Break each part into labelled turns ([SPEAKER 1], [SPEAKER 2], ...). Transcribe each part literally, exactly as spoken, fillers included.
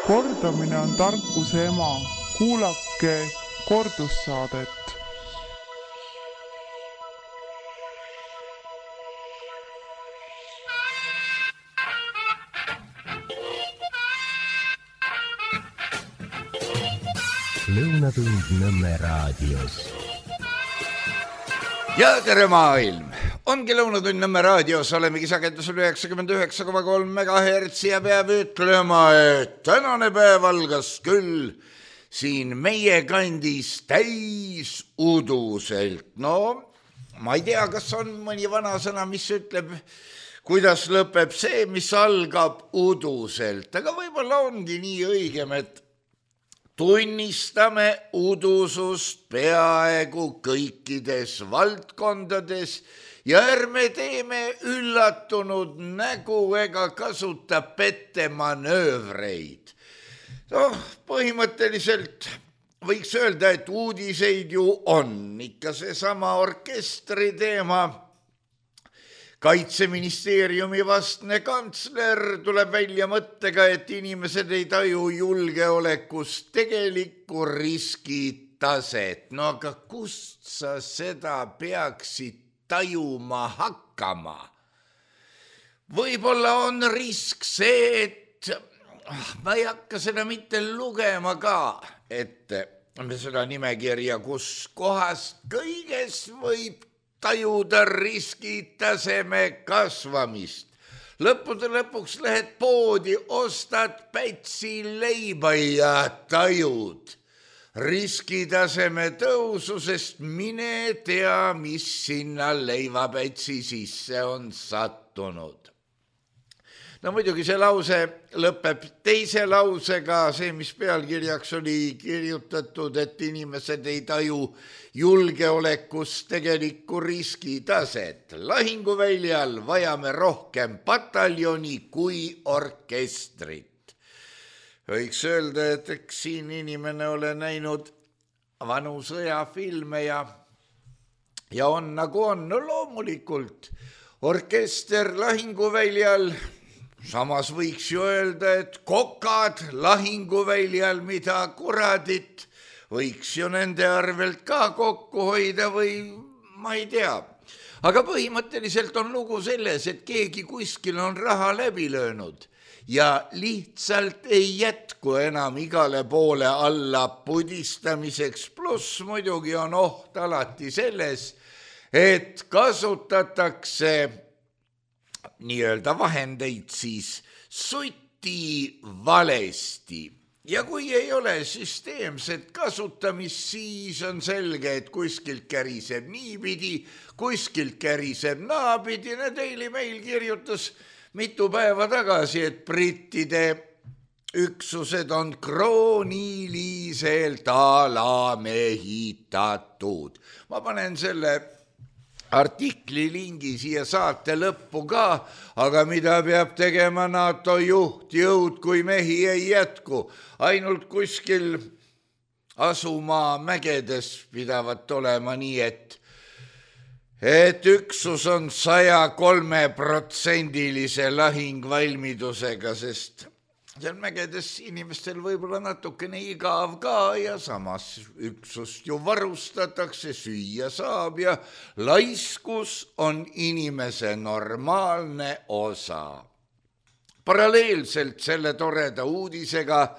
[SPEAKER 1] Kordamine on tarkuse ema. Kuulake kordussaadet.
[SPEAKER 2] Lõunatund Nõmme raadios.
[SPEAKER 3] Ja tere maailm! Ongi Lõunatund Nõmme raadios, olemegi sagedusel üheksakümmend üheksa koma kolm megahertsi ja peab ütlema, et tänane päev algas küll siin meie kandis täis uduselt. No, ma ei tea, kas on mõni vana sõna, mis ütleb, kuidas lõpeb see, mis algab uduselt. Aga võib-olla ongi nii õigem, et tunnistame udusust peaaegu kõikides valdkondades ja ärme teeme üllatunud nägu ega kasuta pettemanöövreid. No, põhimõtteliselt võiks öelda, et uudiseid ju on. Ikka seesama orkestri teema. Kaitseministeeriumi vastne kantsler tuleb välja mõttega, et inimesed ei taju julgeolekust tegelikku riskitaset. No aga kust sa seda peaksid tajuma hakkama? Võib-olla on risk see, et ma ei hakka seda mitte lugema ka, et seda nimekirja, kus kohast kõiges võib tajuda riskitaseme kasvamist. Lõppude lõpuks lähed poodi, ostad pätsi leiba ja tajud riskitaseme tõusu, sest mine tea, mis sinna leivapätsi sisse on sattunud. No muidugi see lause lõpeb teise lausega, see, mis pealkirjaks oli kirjutatud, et inimesed ei taju julgeolekust tegelikku riskitaset. Lahinguväljal vajame rohkem pataljoni kui orkestrit. Võiks öelda, et eks siin inimene ole näinud vanu sõjafilme ja, ja on nagu on. No loomulikult orkester lahinguväljal. Samas võiks ju öelda, et kokad lahinguväljal, mida kuradit, võiks ju nende arvelt ka kokku hoida või ma ei tea. Aga põhimõtteliselt on lugu selles, et keegi kuskil on raha läbi löönud ja lihtsalt ei jätku enam igale poole alla pudistamiseks. Pluss muidugi on oht alati selles, et kasutatakse nii-öelda vahendeid siis suti valesti. Ja kui ei ole süsteemset kasutamist, siis on selge, et kuskilt käriseb niipidi, kuskilt käriseb naapidi. Daily Mail kirjutas mitu päeva tagasi, et brittide üksused on krooniliselt alamehitatud. Ma panen selle artikli lingi siia saate lõppu ka, aga mida peab tegema NATO juhtjõud, kui mehi ei jätku? Ainult kuskil asumaa mägedes pidavat olema nii, et, et üksus on saja kolme protsendilise lahingvalmidusega, sest seal mägedes inimestel võib-olla natukene igav ka ja samas üksust ju varustatakse, süüa saab ja laiskus on inimese normaalne osa. Paralleelselt selle toreda uudisega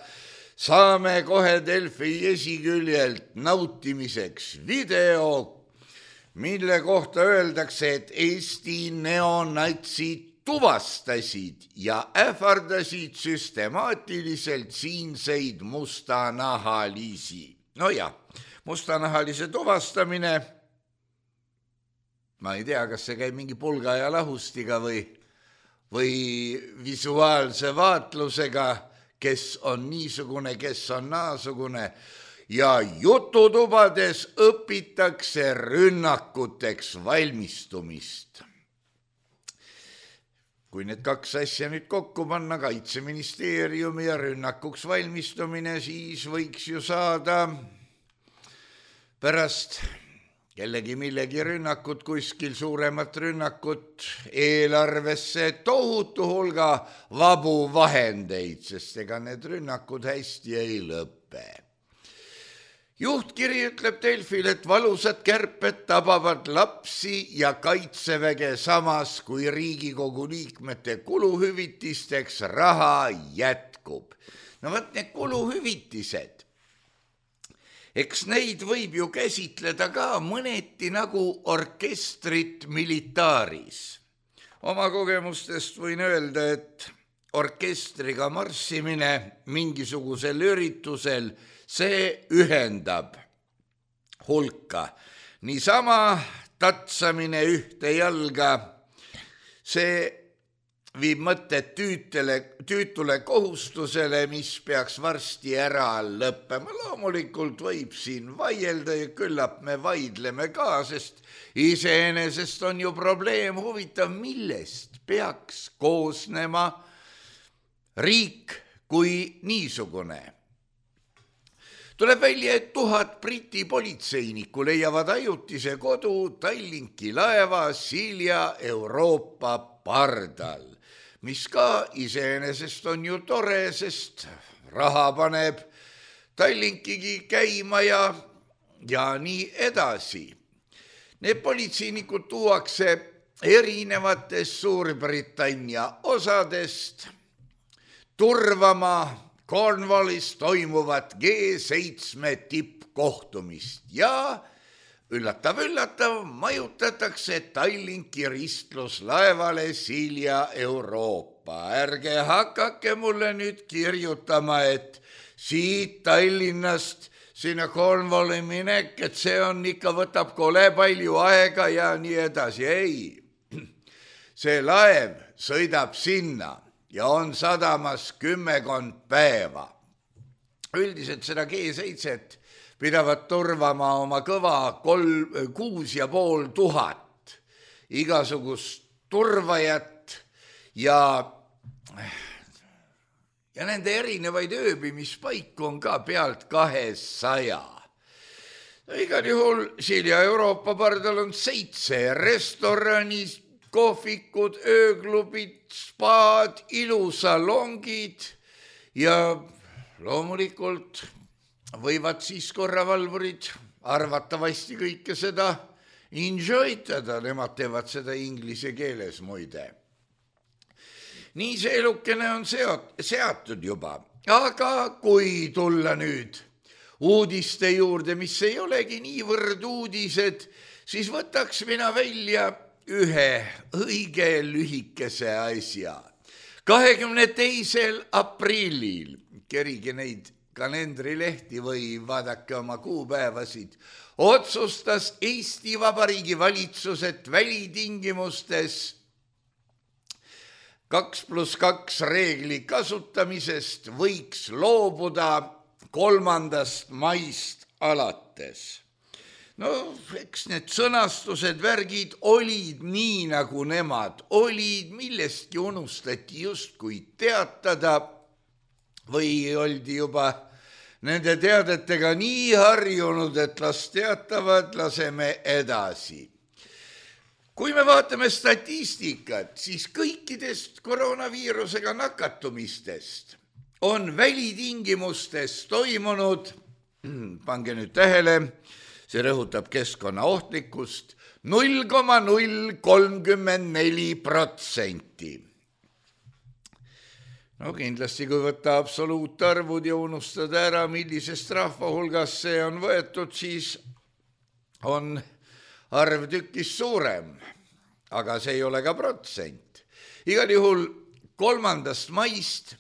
[SPEAKER 3] saame kohe Delfi esiküljelt nautimiseks video, mille kohta öeldakse, et Eesti neonatsid tuvastasid ja ähvardasid süstemaatiliselt siinseid mustanahalisi. No ja, mustanahalise tuvastamine, ma ei tea, kas see käib mingi pulga ja lahustiga või, või visuaalse vaatlusega, kes on niisugune, kes on naasugune. Ja jututubades õpitakse rünnakuteks valmistumist. Kui need kaks asja nüüd kokku panna, Kaitseministeeriumi ja rünnakuks valmistumine, siis võiks ju saada pärast kellegi millegi rünnakut, kuskil suuremat rünnakut, eelarvesse tohutu hulga vabu vahendeid, sest ega need rünnakud hästi ei lõppe. Juhtkiri ütleb Delfil, et valusad kärped tabavad lapsi ja kaitseväge samas, kui Riigikogu liikmete kuluhüvitisteks raha jätkub. No võt need kuluhüvitised. Eks neid võib ju käsitleda ka mõneti nagu orkestrit militaaris. Oma kogemustest võin öelda, et orkestriga marssimine mingisugusel üritusel, see ühendab hulka. Niisama tatsamine ühte jalga, see viib mõtted tüütele, tüütule kohustusele, mis peaks varsti ära lõppema. Loomulikult võib siin vaielda ja küllap me vaidleme ka, sest iseenesest on ju probleem huvitav, millest peaks koosnema riik kui niisugune. Tuleb välja, et tuhat Briti politseinikku leiavad ajutise kodu Tallinki laeva Silja Euroopa pardal, mis ka iseenesest on ju tore, sest raha paneb Tallinkigi käima ja, ja nii edasi. Need politseinikud tuuakse erinevatest Suurbritannia osadest turvama Cornwallis toimuvat G seitsme tippkohtumist ja üllatav-üllatav majutatakse Tallinki ristluslaevale Silja Euroopa. Ärge hakake mulle nüüd kirjutama, et siit Tallinnast sinna Cornwalli minek, et see on ikka võtab kole palju aega ja nii edasi. Ei, see laev sõidab sinna ja on sadamas kümmekond päeva. Üldiselt seda G seitset pidavad turvama oma kõva kolm, kuus ja pool tuhat igasugust turvajat ja, ja nende erinevaid ööbimispaiku on ka pealt kahesaja. Igal juhul Silja Euroopa pardal on seitse restoranis, kohvikud, ööklubid, spaad, ilusalongid ja loomulikult võivad siis korravalvurid arvatavasti kõike seda enjoytada, nemad teevad seda inglise keeles muide. Nii see elukene on seot, seatud juba, aga kui tulla nüüd uudiste juurde, mis ei olegi niivõrd uudised, siis võtaks mina välja ühe õige lühikese asja. kahekümne teisel aprillil, kerige neid kalendrilehti või vaadake oma kuupäevasid, otsustas Eesti Vabariigi valitsus, et välitingimustes kaks pluss kaks reegli kasutamisest võiks loobuda kolmandast maist alates. No, eks need sõnastused, värgid olid nii, nagu nemad olid, millestki unustati justkui teatada või oldi juba nende teadetega nii harjunud, et las teatavad, laseme edasi. Kui me vaatame statistikat, siis kõikidest koroonaviirusega nakatumistest on välitingimustes toimunud, pange nüüd tähele, see rõhutab keskkonna ohtlikkust, null koma null kolmkümmend neli protsenti. No kindlasti, kui võtta absoluutarvud ja unustada ära, millisest rahva hulgas see on võetud, siis on arv tükis suurem, aga see ei ole ka protsent. Igal juhul kolmandast maist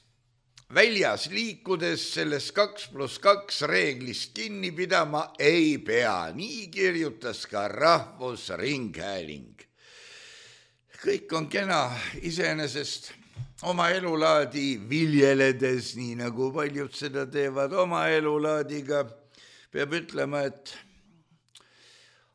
[SPEAKER 3] väljas liikudes sellest kaks pluss kaks reeglist kinni pidama ei pea. Nii kirjutas ka Rahvusringhääling. Kõik on kena iseenesest oma elulaadi viljeledes, nii nagu paljud seda teevad oma elulaadiga. Peab ütlema, et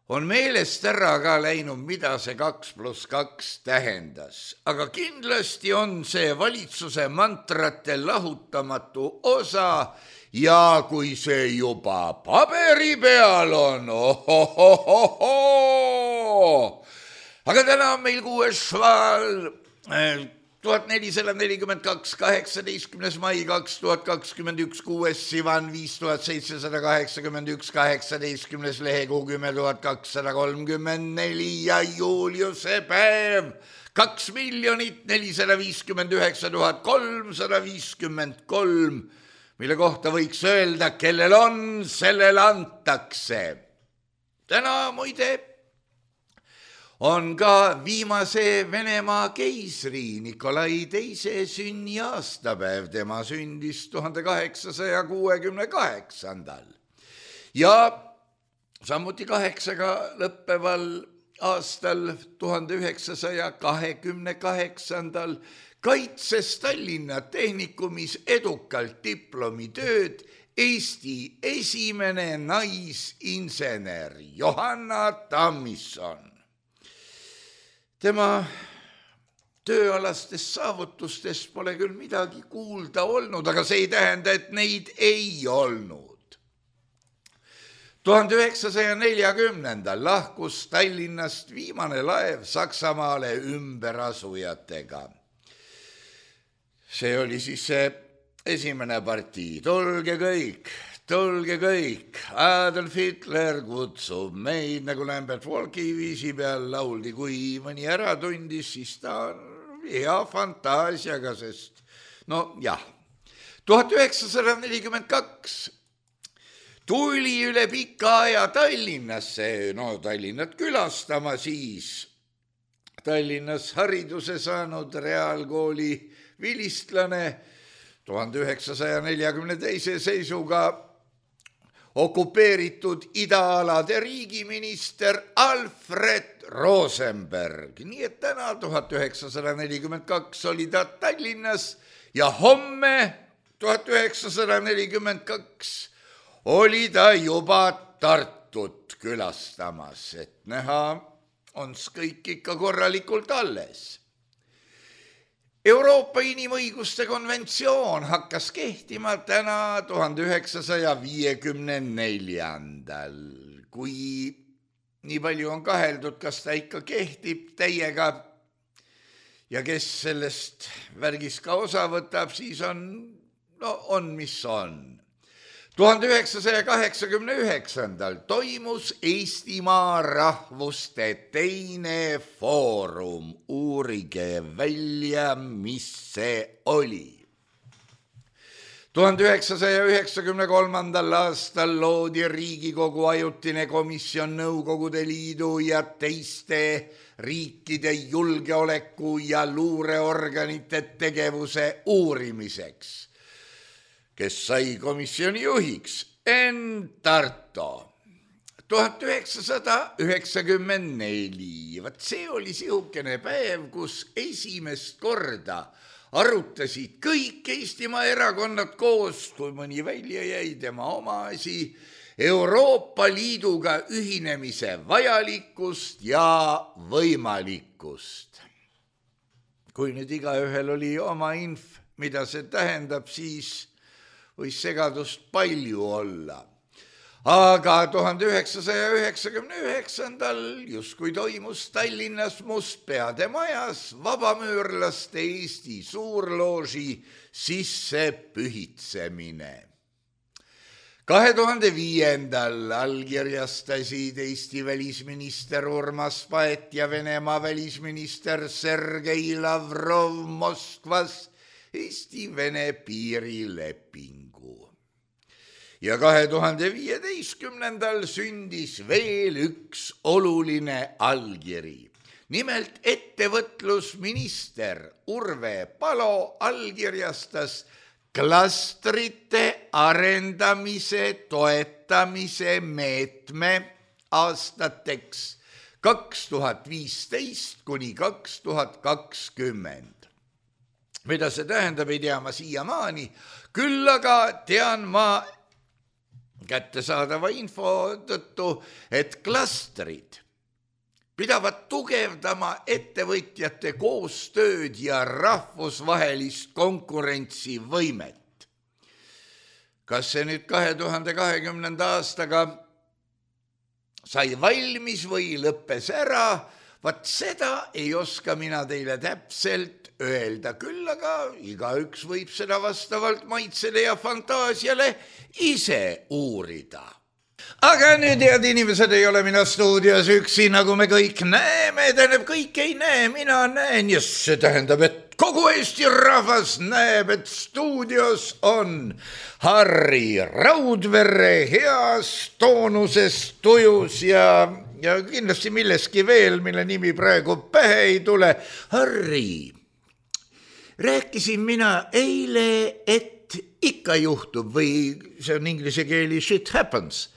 [SPEAKER 3] on meelest ära ka läinud, mida see kaks pluss kaks tähendas, aga kindlasti on see valitsuse mantrate lahutamatu osa ja kui see juba paberi peal on, ohohohoho, aga täna on meil kuues šval, tuhat nelisada nelikümmend kaks, kaheksateistkümnes mai kaks tuhat kakskümmend üks, kuues sivan, viis tuhat seitsesada kaheksakümmend üks, kaheksateistkümnes lehekuu, kümme tuhat kakssada kolmkümmend neli ja Juliuse päev, kaks miljonit nelisada viiskümmend üheksa tuhat kolmsada viiskümmend kolm, mille kohta võiks öelda, kellel on, sellel antakse. Täna muide on ka viimase Venemaa keisri Nikolai teise sünni aastapäev, tema sündis tuhande kaheksasaja kuuekümne kaheksandal. Ja samuti kaheksaga lõppeval aastal tuhande üheksasaja kahekümne kaheksandal kaitses Tallinna Tehnikumis edukalt diplomitööd Eesti esimene naisinsener Johanna Tammisson. Tema tööalastest saavutustest pole küll midagi kuulda olnud, aga see ei tähenda, et neid ei olnud. tuhande üheksasaja neljakümnendal lahkus Tallinnast viimane laev Saksamaale ümberasujatega. See oli siis see esimene partii, tulge kõik, tulge kõik, Adolf Hitler kutsub meid, nagu Lambert Walki viisi peal lauldi, kui mõni ära tundis, siis ta on hea fantaasiaga, sest no jah, tuhat üheksasada nelikümmend kaks tuli üle pika aja Tallinnasse, no Tallinnat külastama siis, Tallinnas hariduse saanud reaalkooli vilistlane, tuhande üheksasaja neljakümne teise seisuga okupeeritud idaalade riigiminister Alfred Rosenberg. Nii et täna tuhat üheksasada nelikümmend kaks oli ta Tallinnas ja homme tuhat üheksasada nelikümmend kaks oli ta juba Tartut külastamas, et näha on kõik ikka korralikult alles. Euroopa inimõiguste konventsioon hakkas kehtima täna tuhande üheksasaja viiekümne neljandal. Kui nii palju on kaheldud, kas ta ikka kehtib täiega ja kes sellest värgis ka osa võtab, siis on, no on mis on. tuhande üheksasaja kaheksakümne üheksandal toimus Eestimaa rahvuste teine foorum. Uurige välja, mis see oli. tuhande üheksasaja üheksakümne kolmandal aastal loodi Riigikogu ajutine komisjon Nõukogude Liidu ja teiste riikide julgeoleku ja luureorganite tegevuse uurimiseks, kes sai komisjoni juhiks Enn Tarto. tuhat üheksasada üheksakümmend neli. Vat see oli sihukene päev, kus esimest korda arutasid kõik Eestimaa erakonnad koos, kui mõni välja jäi tema oma asi, Euroopa Liiduga ühinemise vajalikkust ja võimalikkust. Kui nüüd igaühel oli oma inf, mida see tähendab, siis võis segadust palju olla. Aga tuhande üheksasaja üheksakümne üheksandal justkui toimus Tallinnas Mustpeade majas vabamüürlaste Eesti suurlooži sisse pühitsemine. kahe tuhande viiendal allkirjastasid Eesti välisminister Urmas Paet ja Venemaa välisminister Sergei Lavrov Moskvas Eesti-Vene piirilepingu. Ja kahe tuhande viieteistkümnendal sündis veel üks oluline allkiri. Nimelt ettevõtlusminister Urve Palo allkirjastas klastrite arendamise toetamise meetme aastateks kaks tuhat viisteist kuni kaks tuhat kakskümmend. Mida see tähendab, ei tea ma siiamaani, küll aga tean ma kättesaadava info tõttu, et klastrid pidavad tugevdama ettevõtjate koostööd ja rahvusvahelist konkurentsivõimet. Kas see nüüd kahe tuhande kahekümnenda aastaga sai valmis või lõppes ära, vaat seda ei oska mina teile täpselt öelda, küll aga igaüks võib seda vastavalt maitsele ja fantaasiale ise uurida. Aga nüüd, head inimesed, ei ole mina stuudios üksi, nagu me kõik näeme, tähendab, kõik ei näe, mina näen, ja see tähendab, et kogu Eesti rahvas näeb, et stuudios on Harri Raudvere heas toonuses, tujus ja, ja kindlasti milleski veel, mille nimi praegu pähe ei tule. Harri, rääkisin mina eile, et ikka juhtub või see on inglise keeli shit happens.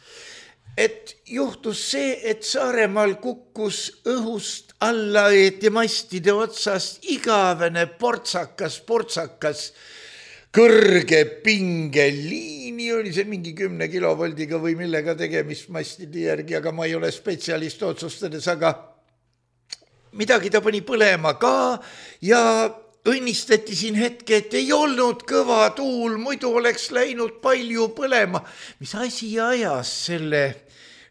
[SPEAKER 3] Et juhtus see, et Saaremaal kukkus õhust alla õieti mastide otsast igavene portsakas, portsakas kõrge pingeliini, oli see mingi kümne kilovoldiga või millega tegemist mastide järgi, aga ma ei ole spetsialist otsustades, aga midagi ta pani põlema ka ja õnnistati siin hetke, et ei olnud kõva tuul, muidu oleks läinud palju põlema. Mis asi ajas selle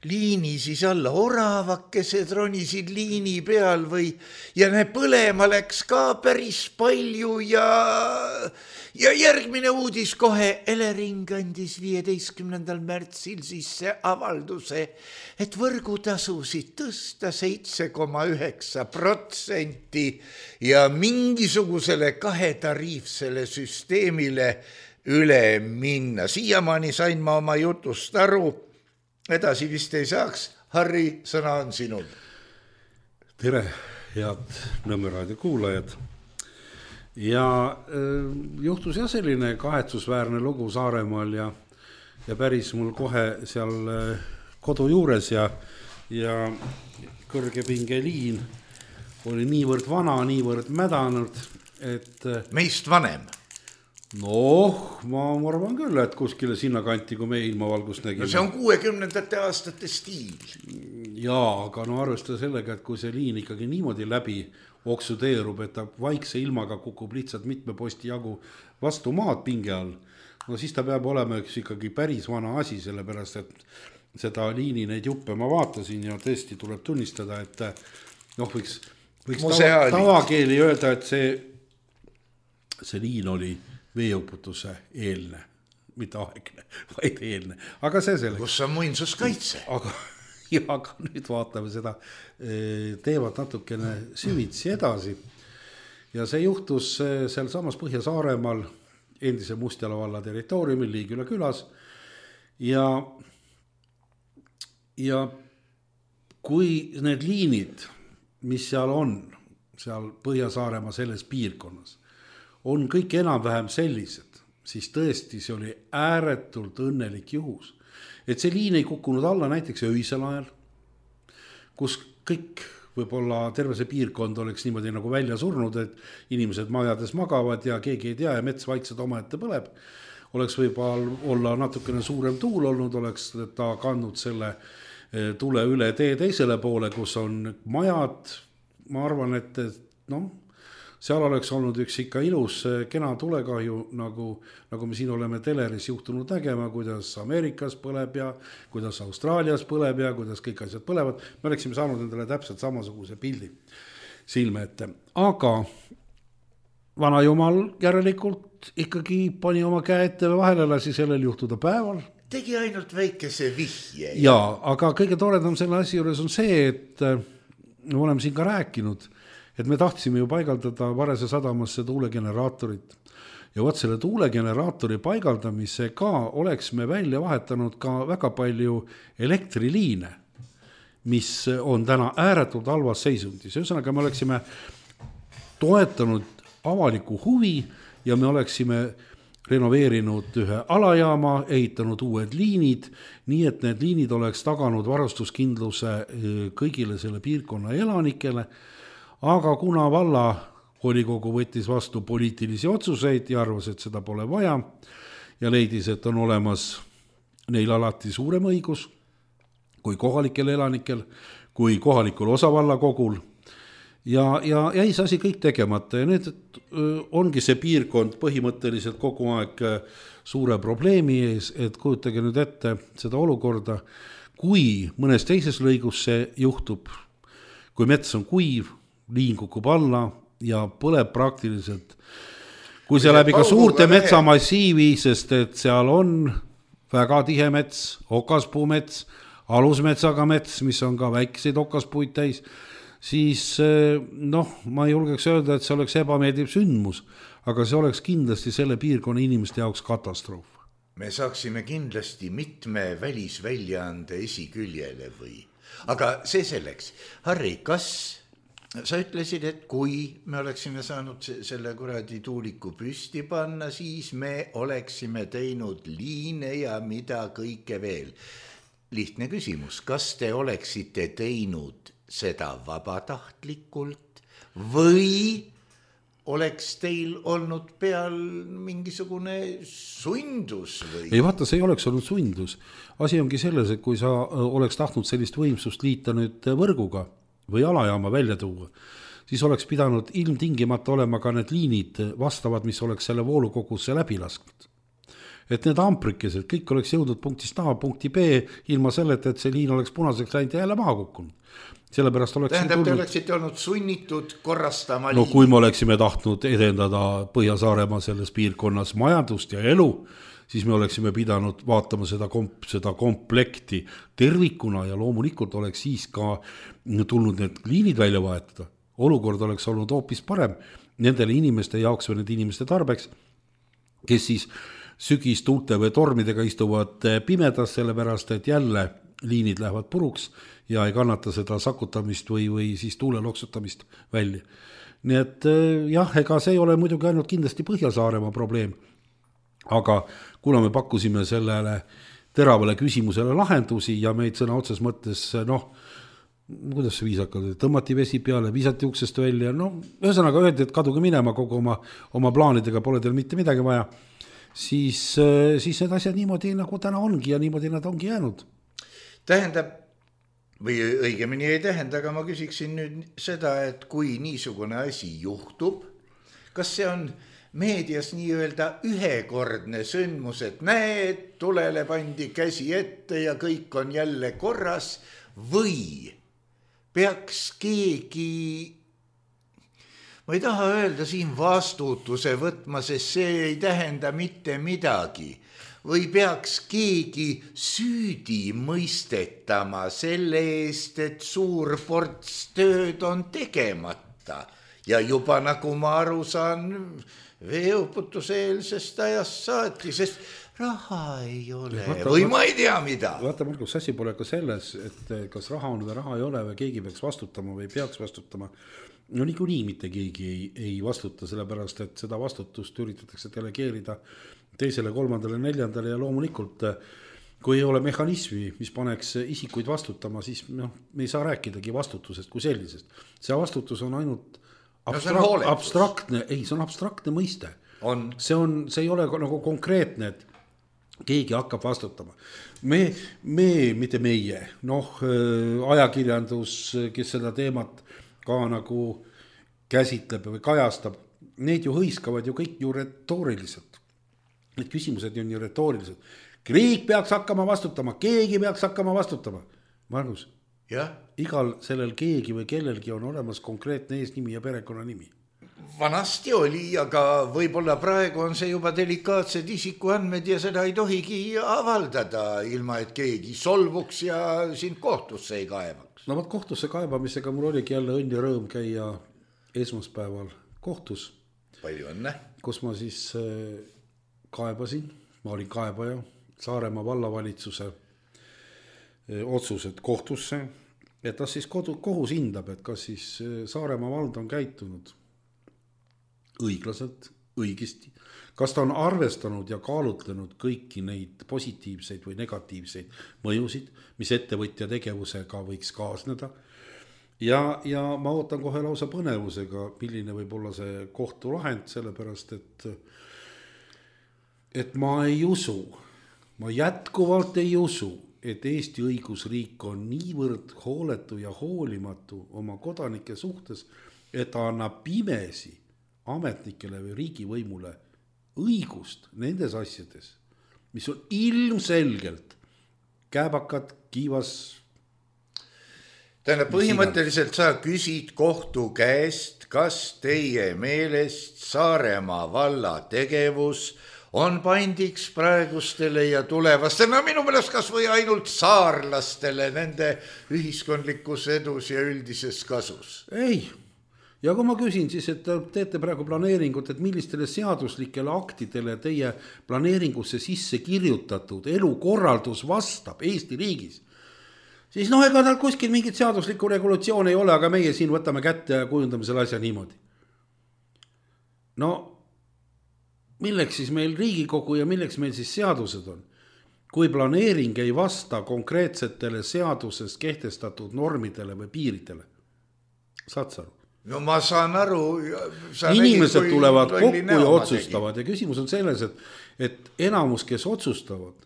[SPEAKER 3] liini siis alla, oravakesed ronisid liini peal või ja ne põlema läks ka päris palju ja, ja järgmine uudis kohe. Elering andis viieteistkümnendal märtsil sisse avalduse, et võrgutasusid tõsta seitse koma üheksa protsenti ja mingisugusele kahetariifsele süsteemile üle minna. Siiamaani sain ma oma jutust aru, edasi vist ei saaks. Harri, sõna on sinul.
[SPEAKER 4] Tere, head Nõmme raadio kuulajad. Ja äh, juhtus jah selline kahetsusväärne lugu Saaremaal ja, ja päris mul kohe seal äh, kodu juures ja, ja kõrge pingeliin oli niivõrd vana, niivõrd mädanud, et äh,
[SPEAKER 3] meist vanem.
[SPEAKER 4] Noh, ma arvan küll, et kuskile sinna kanti, kui me ilmavalgust nägime.
[SPEAKER 3] No see on kuuekümnendate aastate stiil.
[SPEAKER 4] Jaa, aga no arvestada sellega, et kui see liin ikkagi niimoodi läbi oksudeerub, et ta vaikse ilmaga kukub lihtsalt mitme posti jagu vastu maad pinge all, no siis ta peab olema üks ikkagi päris vana asi, sellepärast, et seda liini neid juppe ma vaatasin ja tõesti tuleb tunnistada, et noh, võiks, võiks tava, tavakeeli öelda, et see, see liin oli veeuputuse eelne, mitte aegne, vaid eelne. Aga see selleks.
[SPEAKER 3] Kus on muinsuskaitse?
[SPEAKER 4] Aga, ja, aga nüüd vaatame seda teevad natukene süvitsi edasi. Ja see juhtus seal samas Põhja-Saaremaal endise Mustjala valla territooriumil Liigüla külas. Ja, ja kui need liinid, mis seal on, seal Põhja-Saaremaa selles piirkonnas, on kõik enam-vähem sellised, siis tõesti see oli ääretult õnnelik juhus. Et see liin ei kukkunud alla näiteks öisel ajal, kus kõik võib-olla terve see piirkond oleks niimoodi nagu välja surnud, et inimesed majades magavad ja keegi ei tea ja mets vaikselt omaette põleb. Oleks võib-olla olla natukene suurem tuul olnud, oleks ta kandnud selle tule üle tee teisele poole, kus on majad. Ma arvan, et noh, seal oleks olnud üks ikka ilus kena tulekahju, nagu, nagu me siin oleme teleris juhtunud nägema, kuidas Ameerikas põleb ja kuidas Austraalias põleb ja kuidas kõik asjad põlevad. Me oleksime saanud endale täpselt samasuguse pildi silme ette. Aga vana jumal järelikult ikkagi pani oma käe ette vahele, lasi sellel juhtuda päeval.
[SPEAKER 3] Tegi ainult väikese vihje.
[SPEAKER 4] Jaa, aga kõige toredam selle asi juures on see, et me oleme siin ka rääkinud, et me tahtsime ju paigaldada Varese sadamasse tuulegeneraatorit. Ja võt selle tuulegeneraatori paigaldamise ka oleks me välja vahetanud ka väga palju elektriliine, mis on täna ääretult halvas seisundis. Ühesõnaga me oleksime toetanud avaliku huvi ja me oleksime renoveerinud ühe alajaama, ehitanud uued liinid, nii et need liinid oleks taganud varustuskindluse kõigile selle piirkonna elanikele. Aga kuna valla volikogu võttis vastu poliitilisi otsuseid ja arvas, et seda pole vaja ja leidis, et on olemas neil alati suurem õigus kui kohalikel elanikel, kui kohalikul osavallakogul ja, ja jäi see asi kõik tegemata ja nüüd ongi see piirkond põhimõtteliselt kogu aeg suure probleemi ees, et kujutage nüüd ette seda olukorda, kui mõnes teises lõigus see juhtub, kui mets on kuiv, liin kukub alla ja põleb praktiliselt, kui see läbi ka suurte metsamassiivi, sest et seal on väga tihe mets, okaspuumets, alusmetsaga mets, mis on ka väikeseid okaspuid täis, siis noh, ma ei julgeks öelda, et see oleks ebameeldiv sündmus, aga see oleks kindlasti selle piirkonna inimeste jaoks katastroof.
[SPEAKER 3] Me saaksime kindlasti mitme välisväljaande esiküljele või, aga see selleks. Harri, kas sa ütlesid, et kui me oleksime saanud selle kuradi tuuliku püsti panna, siis me oleksime teinud liine ja mida kõike veel. Lihtne küsimus, kas te oleksite teinud seda vabatahtlikult või oleks teil olnud peal mingisugune sundus või?
[SPEAKER 4] Ei vaata, see ei oleks olnud sundus. Asi ongi selles, et kui sa oleks tahtnud sellist võimsust liita nüüd võrguga või alajaama välja tuua, siis oleks pidanud ilmtingimata olema ka need liinid vastavad, mis oleks selle voolukogusse läbi lasknud. Et need amprikesed, kõik oleks jõudnud punktist A, punkti B, ilma selleta, et see liin oleks punaseks läinud ja jälle maha kukkunud. Sellepärast oleks
[SPEAKER 3] tähendab, te oleksite olnud sunnitud korrastama
[SPEAKER 4] no,
[SPEAKER 3] liini.
[SPEAKER 4] Kui me oleksime tahtnud edendada Põhja-Saaremaa selles piirkonnas majandust ja elu, siis me oleksime pidanud vaatama seda, komp, seda komplekti tervikuna ja loomulikult oleks siis ka tulnud need liinid välja vahetada. Olukord oleks olnud hoopis parem nendele inimeste jaoks või nende inimeste tarbeks, kes siis sügis tuulte või tormidega istuvad pimedas, sellepärast et jälle liinid lähevad puruks ja ei kannata seda sakutamist või, või siis tuule loksutamist välja. Nii et jah, ega see ei ole muidugi ainult kindlasti Põhja-Saaremaa probleem, aga kuna me pakkusime sellele teravale küsimusele lahendusi ja meid sõna otses mõttes, noh, kuidas see viisakalt, tõmmati vesi peale, viisati uksest välja, no ühesõnaga öeldi, et kaduge minema kogu oma, oma plaanidega, pole teil mitte midagi vaja, siis, siis need asjad niimoodi nagu täna ongi ja niimoodi nad ongi jäänud.
[SPEAKER 3] Tähendab, või õigemini ei tähenda, aga ma küsiksin nüüd seda, et kui niisugune asi juhtub, kas see on meedias nii-öelda ühekordne sündmus, et näed, tulele pandi käsi ette ja kõik on jälle korras või peaks keegi, ma ei taha öelda siin vastutuse võtma, sest see ei tähenda mitte midagi, või peaks keegi süüdi mõistetama selle eest, et suur ports tööd on tegemata ja juba nagu ma aru saan veeuputuseelsest ajast saati, sest raha ei ole vaata, või ma ei tea mida.
[SPEAKER 4] Vaata, Markus, asi pole ka selles, et kas raha on või raha ei ole või keegi peaks vastutama või peaks vastutama. No niikuinii mitte keegi ei, ei vastuta, sellepärast, et seda vastutust üritatakse delegeerida teisele, kolmandale, neljandale ja loomulikult, kui ei ole mehhanismi, mis paneks isikuid vastutama, siis no, me ei saa rääkidagi vastutusest kui sellisest. See vastutus on ainult abstrak- no, on abstraktne, ei, see on abstraktne mõiste.
[SPEAKER 3] On.
[SPEAKER 4] See, on, see ei ole nagu konkreetne, et keegi hakkab vastutama. Me, me mitte meie, noh, ajakirjandus, kes seda teemat ka nagu käsitleb või kajastab, neid ju hõiskavad ju kõik ju retooriliselt. Need küsimused on ju retoorilised. Riik peaks hakkama vastutama, keegi peaks hakkama vastutama. Margus,
[SPEAKER 3] ja?
[SPEAKER 4] Igal sellel keegi või kellelgi on olemas konkreetne eesnimi ja perekonna nimi.
[SPEAKER 3] Vanasti oli, aga võib-olla praegu on see juba delikaatsed isikuandmed ja seda ei tohigi avaldada, ilma et keegi solvuks ja sind kohtusse ei kaevaks.
[SPEAKER 4] No vaat kohtusse kaebamisega mul oligi jälle õnn ja rõõm käia esmaspäeval kohtus.
[SPEAKER 3] Palju õnne.
[SPEAKER 4] Kus ma siis kaebasin, ma olin kaebaja Saaremaa vallavalitsuse otsused kohtusse, et tas siis kodu, kohus hindab, et kas siis Saaremaa vald on käitunud õiglaselt, õigesti, kas ta on arvestanud ja kaalutlenud kõiki neid positiivseid või negatiivseid mõjusid, mis ettevõtja tegevusega võiks kaasneda. Ja, ja ma ootan kohe lausa põnevusega, milline võib olla see kohtulahend, sellepärast et, et ma ei usu, ma jätkuvalt ei usu, et Eesti õigusriik on niivõrd hooletu ja hoolimatu oma kodanike suhtes, et ta annab pimesi ametnikele või riigivõimule õigust nendes asjades, mis on ilmselgelt kääbakad, kiivas.
[SPEAKER 3] Tähendab, põhimõtteliselt sa küsid kohtu käest, kas teie meelest Saaremaa valla tegevus on pandiks praegustele ja tulevastele, no minu meelest kas või ainult saarlastele nende ühiskondlikus edus ja üldises kasus.
[SPEAKER 4] Ei, ja kui ma küsin siis, et teete praegu planeeringut, et millistele seaduslikele aktidele teie planeeringusse sisse kirjutatud elukorraldus vastab Eesti riigis, siis noh, ega tal kuskil mingit seaduslikku regulatsioon ei ole, aga meie siin võtame kätte ja kujundame selle asja niimoodi. No milleks siis meil Riigikogu ja milleks meil siis seadused on? Kui planeering ei vasta konkreetsetele seaduses kehtestatud normidele või piiridele. Saad sa aru?
[SPEAKER 3] No ma saan aru.
[SPEAKER 4] Inimesed nägid, tulevad kokku ja otsustavad tegi. Ja küsimus on selles, et, et enamus, kes otsustavad,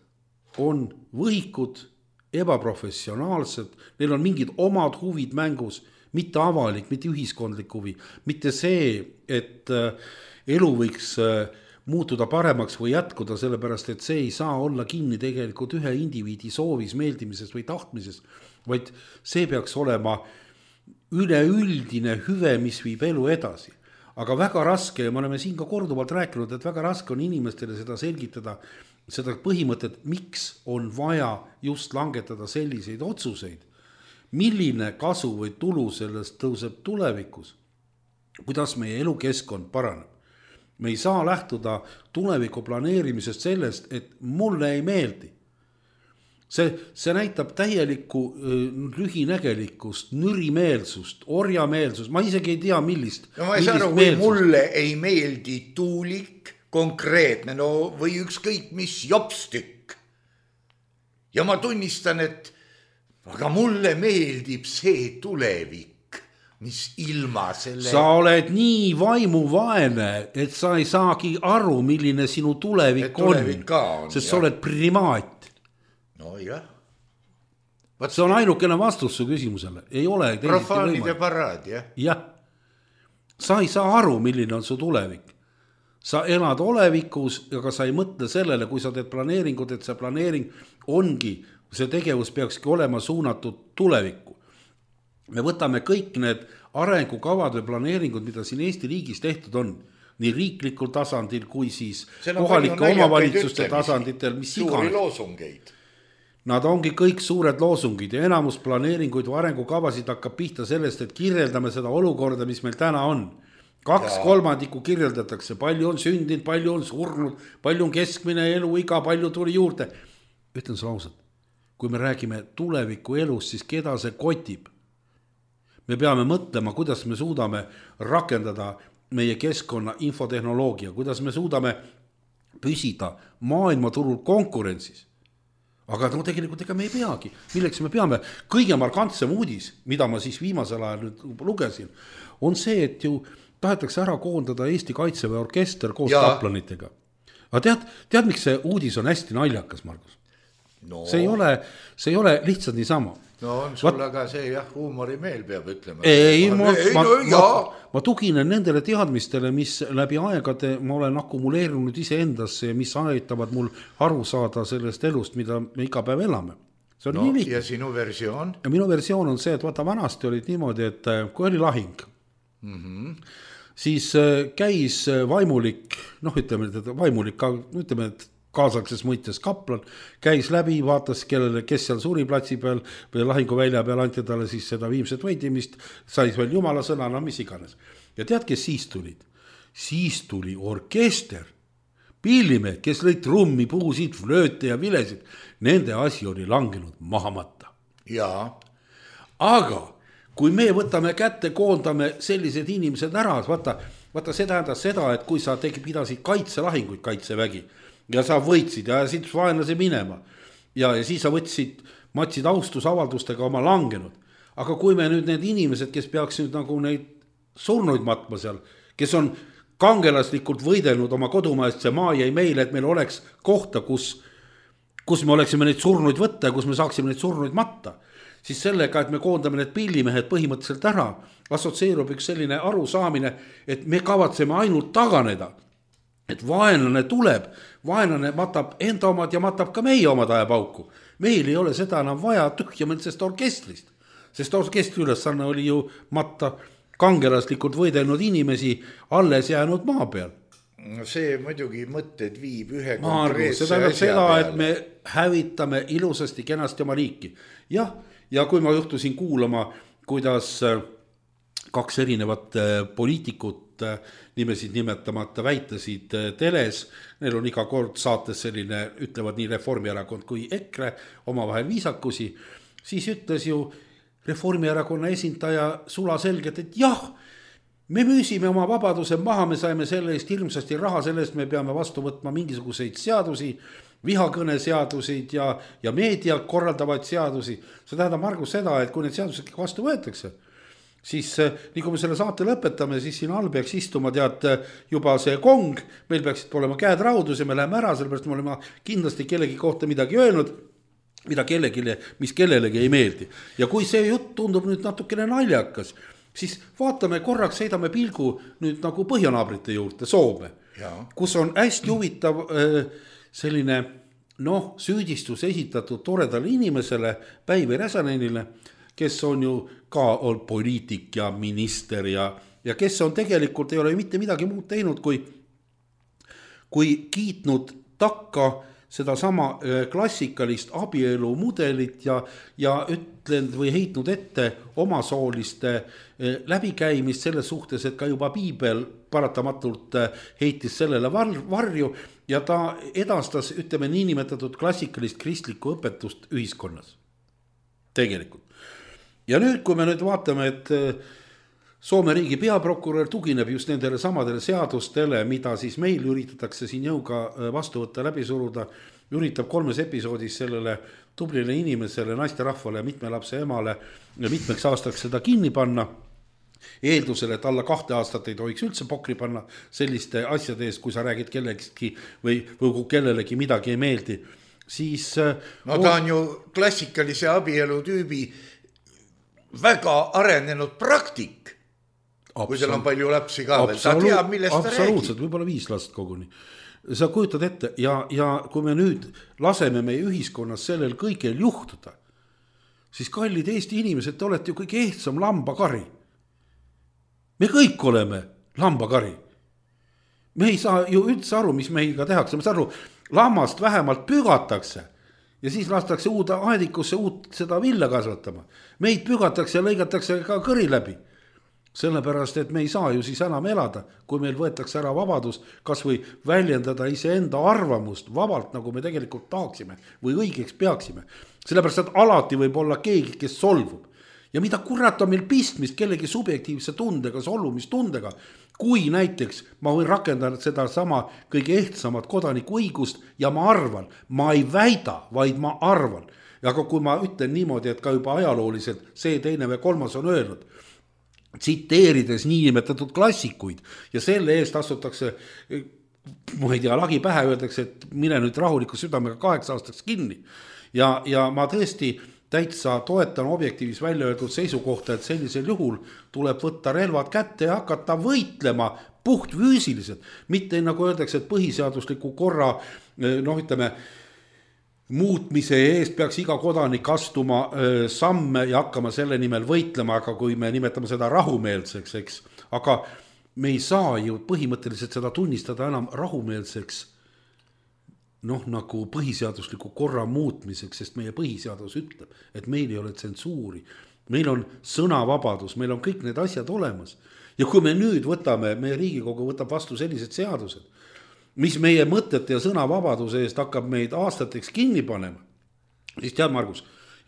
[SPEAKER 4] on võhikud, ebaprofessionaalsed, neil on mingid omad huvid mängus, mitte avalik, mitte ühiskondlik huvi, mitte see, et elu võiks muutuda paremaks või jätkuda, sellepärast et see ei saa olla kinni tegelikult ühe indiviidi soovis, meeldimises või tahtmises, vaid see peaks olema üleüldine hüve, mis viib elu edasi. Aga väga raske, ja me oleme siin ka korduvalt rääkinud, et väga raske on inimestele seda selgitada, seda põhimõtet, miks on vaja just langetada selliseid otsuseid, milline kasu või tulu sellest tõuseb tulevikus, kuidas meie elukeskkond paraneb. Me ei saa lähtuda tuleviku planeerimisest sellest, et mulle ei meeldi. See, see näitab täielikku lühinägelikkust, nürimeelsust, orjameelsust, ma isegi ei tea, millist.
[SPEAKER 3] No ma ei saa aru, kui mulle ei meeldi tuulik, konkreetne, no või ükskõik mis jopstükk. Ja ma tunnistan, et aga mulle meeldib see tulevik. Mis ilma selle...
[SPEAKER 4] Sa oled nii vaimuvaene, et sa ei saagi aru, milline sinu tulevik, tulevik on, on, sest sa oled primaat.
[SPEAKER 3] No jah.
[SPEAKER 4] Vaat... See on ainukene vastus su küsimusele. Ei ole
[SPEAKER 3] profaanide paraad, jah.
[SPEAKER 4] Jah. Sa ei saa aru, milline on su tulevik. Sa elad olevikus, aga sa ei mõtle sellele, kui sa teed planeeringut, et see planeering ongi, see tegevus peakski olema suunatud tulevikku. Me võtame kõik need arengukavad või planeeringud, mida siin Eesti riigis tehtud on, nii riiklikul tasandil kui siis kohalike omavalitsuste tasanditel, mis iganes.
[SPEAKER 3] Loosungeid.
[SPEAKER 4] Nad ongi kõik suured loosungid ja enamus planeeringuid või arengukavasid hakkab pihta sellest, et kirjeldame seda olukorda, mis meil täna on. Kaks ja. kolmandikku kirjeldatakse, palju on sündinud, palju on surnud, palju on keskmine eluiga, palju tuli juurde. Ütlen sulle ausalt, kui me räägime tuleviku elust, siis keda see kotib? Me peame mõtlema, kuidas me suudame rakendada meie keskkonna infotehnoloogia, kuidas me suudame püsida maailmaturul konkurentsis. Aga no tegelikult ega me ei peagi. Milleks me peame? Kõige markantsem uudis, mida ma siis viimasel ajal nüüd lugesin, on see, et ju tahetakse ära koondada Eesti Kaitseväe orkester koos kaplanitega. Aga tead, tead, miks see uudis on hästi naljakas, Margus? No. See ei ole, see ei ole lihtsalt niisama.
[SPEAKER 3] No on sul Vat... aga see jah, huumorimeel peab ütlema.
[SPEAKER 4] Ei, ma, ei ma, no, ma, ma tuginen nendele teadmistele, mis läbi aegade ma olen akumuleerinud ise endasse ja mis aitavad mul aru saada sellest elust, mida me iga päev elame. See on
[SPEAKER 3] no,
[SPEAKER 4] nii lihtne.
[SPEAKER 3] Ja sinu versioon?
[SPEAKER 4] Ja minu versioon on see, et vaata vanasti olid niimoodi, et kui oli lahing, mm-hmm. siis käis vaimulik, noh ütleme, et vaimulik, ütleme, et kaasakses mõites kaplan, käis läbi, vaatas, kellele, kes seal suri platsi peal või lahinguvälja peal anti talle siis seda viimset võidimist, sai veel jumala sõna, no mis iganes. Ja tead, kes siis tulid? Siis tuli orkester, pillimehed, kes lõid trummi, puusid, flööte ja vilesid. Nende asi oli langenud mahamata.
[SPEAKER 3] Jaa.
[SPEAKER 4] Aga kui me võtame kätte, koondame sellised inimesed ära, vaata, vaata see tähendas seda, et kui sa tegi, pidasid kaitselahinguid kaitsevägi, ja sa võitsid ja siit vaenlase minema. Ja, ja siis sa võtsid, matsid austusavaldustega oma langenud. Aga kui me nüüd need inimesed, kes peaks nüüd nagu neid surnuid matma seal, kes on kangelaslikult võidelnud oma kodumaast, see maa jäi meile, et meil oleks kohta, kus kus me oleksime neid surnuid võtta ja kus me saaksime neid surnuid matta, siis sellega, et me koondame need pillimehed põhimõtteliselt ära, assotsieerub üks selline arusaamine, et me kavatseme ainult taganeda, et vaenlane tuleb, vaenlane matab enda omad ja matab ka meie omad ajapauku. Meil ei ole seda enam vaja tühjamõndsest orkestrist, sest orkestri ülesanne oli ju matta kangelaslikult võidelnud inimesi alles jäänud maa peal.
[SPEAKER 3] See muidugi mõtted viib ühe
[SPEAKER 4] konkreetse asja peale. Seda, et me hävitame ilusasti kenasti oma riiki. Jah, ja kui ma juhtusin kuulama, kuidas kaks erinevat poliitikut nimesid nimetamata väitasid teles, neil on iga kord saates selline, ütlevad nii Reformierakond kui EKRE omavahel viisakusi, siis ütles ju Reformierakonna esindaja sula selgelt, et jah, me müüsime oma vabaduse maha, me saime selle eest hirmsasti raha, selle eest me peame vastu võtma mingisuguseid seadusi, vihakõne seadusid ja, ja meedia korraldavaid seadusi. See tähendab, Margus, seda, et kui need seadused vastu võetakse, siis nii kui me selle saate lõpetame, siis siin all peaks istuma tead juba see kong, meil peaksid olema käed raudus ja me läheme ära, sellepärast me oleme kindlasti kellegi kohta midagi öelnud, mida kellelegi, mis kellelegi ei meeldi. Ja kui see jutt tundub nüüd natukene naljakas, siis vaatame korraks, seidame pilgu nüüd nagu põhjanaabrite juurde, Soome, ja. Kus on hästi huvitav selline noh, süüdistus esitatud toredale inimesele, Päivi Räsänenile, kes on ju ka olnud poliitik ja minister ja, ja kes on tegelikult ei ole mitte midagi muud teinud, kui, kui kiitnud takka seda sama klassikalist abielu mudelit ja, ja ütlenud või heitnud ette omasooliste läbikäimist selles suhtes, et ka juba Piibel paratamatult heitis sellele varju ja ta edastas, ütleme, niinimetatud klassikalist kristlikku õpetust ühiskonnas. Tegelikult. Ja nüüd, kui me nüüd vaatame, et Soome riigi peaprokurör tugineb just nendele samadele seadustele, mida siis meil üritatakse siin jõuga vastu võtta, läbi suruda, üritab kolmes episoodis sellele tublile inimesele, naisterahvale, mitme lapse emale ja mitmeks aastaks seda kinni panna, eeldusele, et alla kahte aastat ei tohiks üldse pokri panna selliste asjade ees, kui sa räägid kellelegi või, või kui kellelegi midagi ei meeldi, siis...
[SPEAKER 3] No ta on ju klassikalise abielu tüübi väga arenenud praktik. Absolut. Kui seal on palju lapsi ka veel, ta teab, millest ta räägib.
[SPEAKER 4] Absoluutselt, võib-olla viis last koguni. Sa kujutad ette ja, ja kui me nüüd laseme meie ühiskonnas sellel kõigel juhtuda, siis kallid Eesti inimesed, te olete ju kõige ehtsam lambakari. Me kõik oleme lambakari. Me ei saa ju üldse aru, mis meiga tehakse. Me saa aru, lammast vähemalt pügatakse ja siis lastakse uude aedikusse uut seda villa kasvatama. Meid pügatakse ja lõigatakse ka kõri läbi. Sellepärast, et me ei saa ju siis enam elada, kui meil võetakse ära vabadus, kas või väljendada iseenda arvamust vabalt, nagu me tegelikult tahaksime või õigeks peaksime. Sellepärast, et alati võib olla keegi, kes solvub. Ja mida kurat on meil pistmist kellegi subjektiivse tundega, solvumistundega, kui näiteks ma võin rakendada seda sama kõige ehtsamat kodaniku õigust ja ma arvan, ma ei väida, vaid ma arvan. Ja kui ma ütlen niimoodi, et ka juba ajalooliselt see teine või kolmas on öelnud, tsiteerides niinimetatud klassikuid ja selle eest astutakse, ma ei tea, lagi pähe öeldakse, et mine nüüd rahuliku südamega kaheksa aastaks kinni. Ja, ja ma tõesti täitsa toetan objektiivis välja öeldud seisukohta, et sellisel juhul tuleb võtta relvad kätte ja hakata võitlema puht füüsiliselt. Mitte nagu öeldakse, et põhiseadusliku korra, noh ütleme, muutmise eest peaks iga kodanik astuma öö, samme ja hakkama selle nimel võitlema, aga kui me nimetame seda rahumeelseks, eks, aga me ei saa ju põhimõtteliselt seda tunnistada enam rahumeelseks, noh nagu põhiseadusliku korra muutmiseks, sest meie põhiseadus ütleb, et meil ei ole tsensuuri, meil on sõnavabadus, meil on kõik need asjad olemas. Ja kui me nüüd võtame, meie Riigikogu võtab vastu sellised seadused, mis meie mõtete ja sõnavabaduse eest hakkab meid aastateks kinni panema, siis tead, Margus,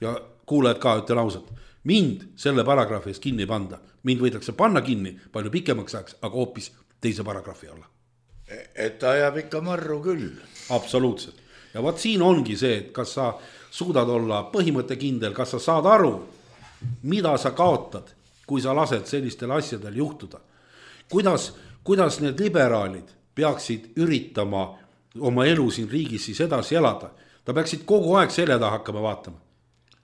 [SPEAKER 4] ja kuulajad ka, ütlen ausalt, mind selle paragrahvi eest kinni panda, mind võidakse panna kinni palju pikemaks ajaks, aga hoopis teise paragrahvi alla.
[SPEAKER 3] Et ta ajab ikka marru küll.
[SPEAKER 4] Absoluutselt. Ja vaat siin ongi see, et kas sa suudad olla põhimõttekindel, kas sa saad aru, mida sa kaotad, kui sa lased sellistel asjadel juhtuda. Kuidas, kuidas need liberaalid peaksid üritama oma elu siin riigis siis edasi elada. Ta peaksid kogu aeg selja taha hakkama vaatama.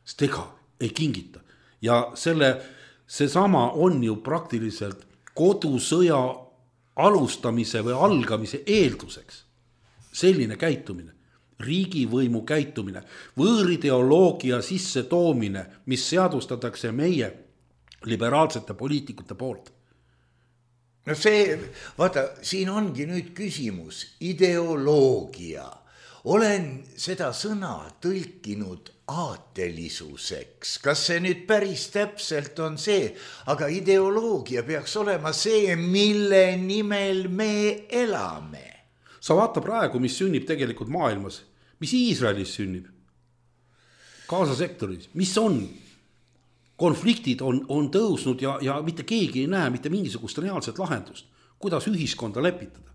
[SPEAKER 4] Sest ega ei kingita. Ja selle, seesama on ju praktiliselt kodusõja alustamise või algamise eelduseks. Selline käitumine, riigivõimu käitumine, võõrideoloogia sisse toomine, mis seadustatakse meie liberaalsete poliitikute poolt.
[SPEAKER 3] No see, vaata, siin ongi nüüd küsimus, ideoloogia. Olen seda sõna tõlkinud aatelisuseks. Kas see nüüd päris täpselt on see, aga ideoloogia peaks olema see, mille nimel me elame.
[SPEAKER 4] Sa vaata praegu, mis sünnib tegelikult maailmas, mis Iisraelis sünnib, Gaza sektoris, mis on? Konfliktid on, on tõusnud ja, ja mitte keegi ei näe mitte mingisugust reaalset lahendust, kuidas ühiskonda lepitada.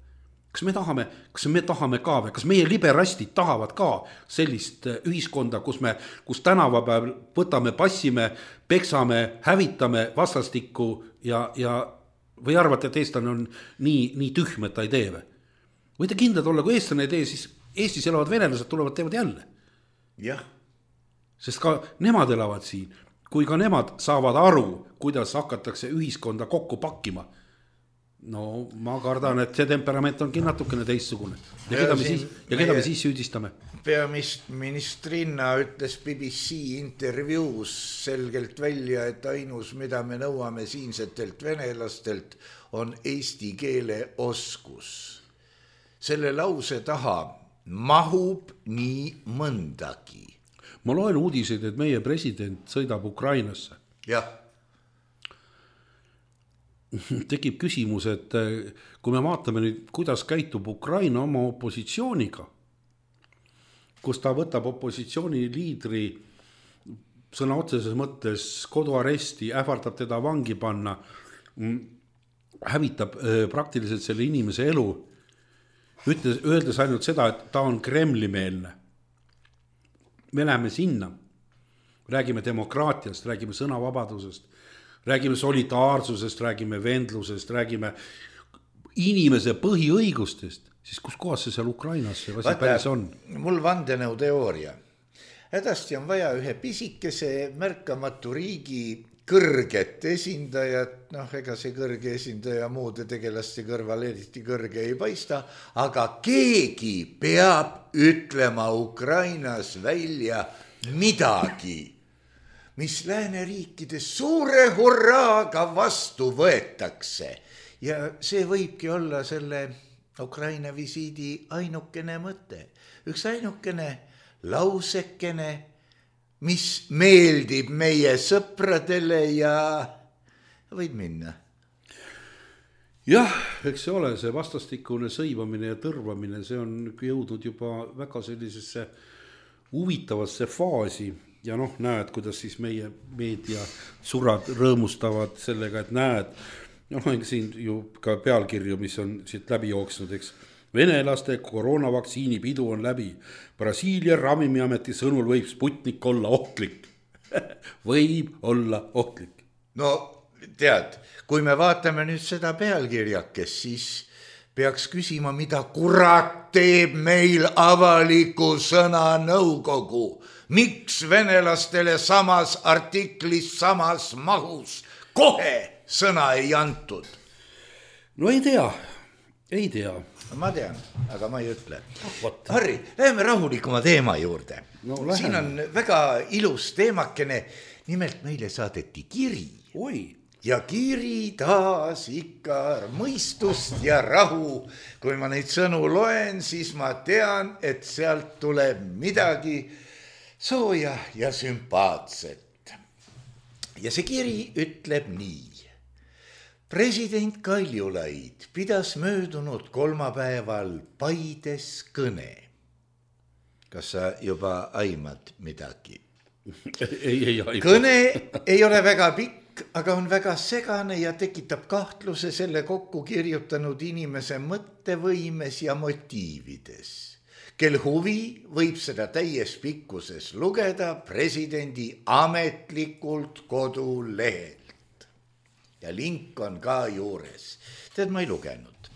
[SPEAKER 4] Kas me tahame, kas me tahame ka või, kas meie liberastid tahavad ka sellist ühiskonda, kus me, kus tänavapäev võtame, passime, peksame, hävitame vastastikku ja, ja või arvate, et eestlane on nii, nii tühm, et ta ei tee või? Võite kindlad olla, kui eestlane ei tee, siis Eestis elavad venelased tulevad, teevad jälle.
[SPEAKER 3] Jah.
[SPEAKER 4] Sest ka nemad elavad siin. Kui ka nemad saavad aru, kuidas hakatakse ühiskonda kokku pakkima. No ma kardan, et see temperament ongi natukene teistsugune. Ja keda me siis, ja keda me siis süüdistame?
[SPEAKER 3] Peaministrinna ütles B B C intervjuus selgelt välja, et ainus, mida me nõuame siinsetelt venelastelt, on eesti keele oskus. Selle lause taha mahub nii mõndagi.
[SPEAKER 4] Ma loen uudiseid, et meie president sõidab Ukrainasse.
[SPEAKER 3] Jah.
[SPEAKER 4] Tekib küsimus, et kui me vaatame nüüd, kuidas käitub Ukraina oma opositsiooniga, kus ta võtab opositsiooni liidri sõna otseses mõttes koduaresti, ähvardab teda vangi panna, hävitab praktiliselt selle inimese elu, ütles, öeldes ainult seda, et ta on Kremli-meelne. Me läheme sinna, räägime demokraatiast, räägime sõnavabadusest, räägime solidaarsusest, räägime vendlusest, räägime inimese põhiõigustest, siis kus kohas see seal Ukrainas see asi päris on?
[SPEAKER 3] Mul vandenõu teooria. Hädasti on vaja ühe pisikese märkamatu riigi kõrget esindajat, noh, ega see kõrge esindaja muude tegelaste kõrval eriti kõrge ei paista, aga keegi peab ütlema Ukrainas välja midagi, mis lääneriikides suure hurraaga vastu võetakse. Ja see võibki olla selle Ukraina visiidi ainukene mõte. Üks ainukene lausekene, mis meeldib meie sõpradele ja võid minna.
[SPEAKER 4] Jah, eks see ole, see vastastikune sõimamine ja tõrvamine, see on jõudnud juba väga sellisesse huvitavasse faasi ja noh, näed, kuidas siis meie meedia surad rõõmustavad sellega, et näed, noh, siin ju ka pealkirju, mis on siit läbi jooksnud, eks. Venelaste koroonavaktsiini pidu on läbi. Brasiilia ravimiameti sõnul võib Sputnik olla ohtlik. Võib olla ohtlik.
[SPEAKER 3] No tead, kui me vaatame nüüd seda pealkirjakest, siis peaks küsima, mida kurat teeb meil avaliku sõna nõukogu. Miks venelastele samas artiklis, samas mahus kohe sõna ei antud?
[SPEAKER 4] No ei tea, ei tea.
[SPEAKER 3] Ma tean, aga ma ei ütle. Harri, läheme rahulikuma teema juurde.
[SPEAKER 4] No,
[SPEAKER 3] siin on väga ilus teemakene. Nimelt meile saadeti kiri.
[SPEAKER 4] Oi.
[SPEAKER 3] Ja kiri taas ikka mõistust ja rahu. Kui ma neid sõnu loen, siis ma tean, et sealt tuleb midagi sooja ja sümpaatset. Ja see kiri ütleb nii. President Kaljulaid pidas möödunud kolmapäeval Paides kõne. Kas sa juba aimad midagi?
[SPEAKER 4] Ei, ei aima.
[SPEAKER 3] Kõne ei ole väga pikk, aga on väga segane ja tekitab kahtluse selle kokku kirjutanud inimese mõttevõimes ja motiivides. Kel huvi võib seda täies pikkuses lugeda presidendi ametlikult kodulehel. Ja link on ka juures. Tead, ma ei lugenud.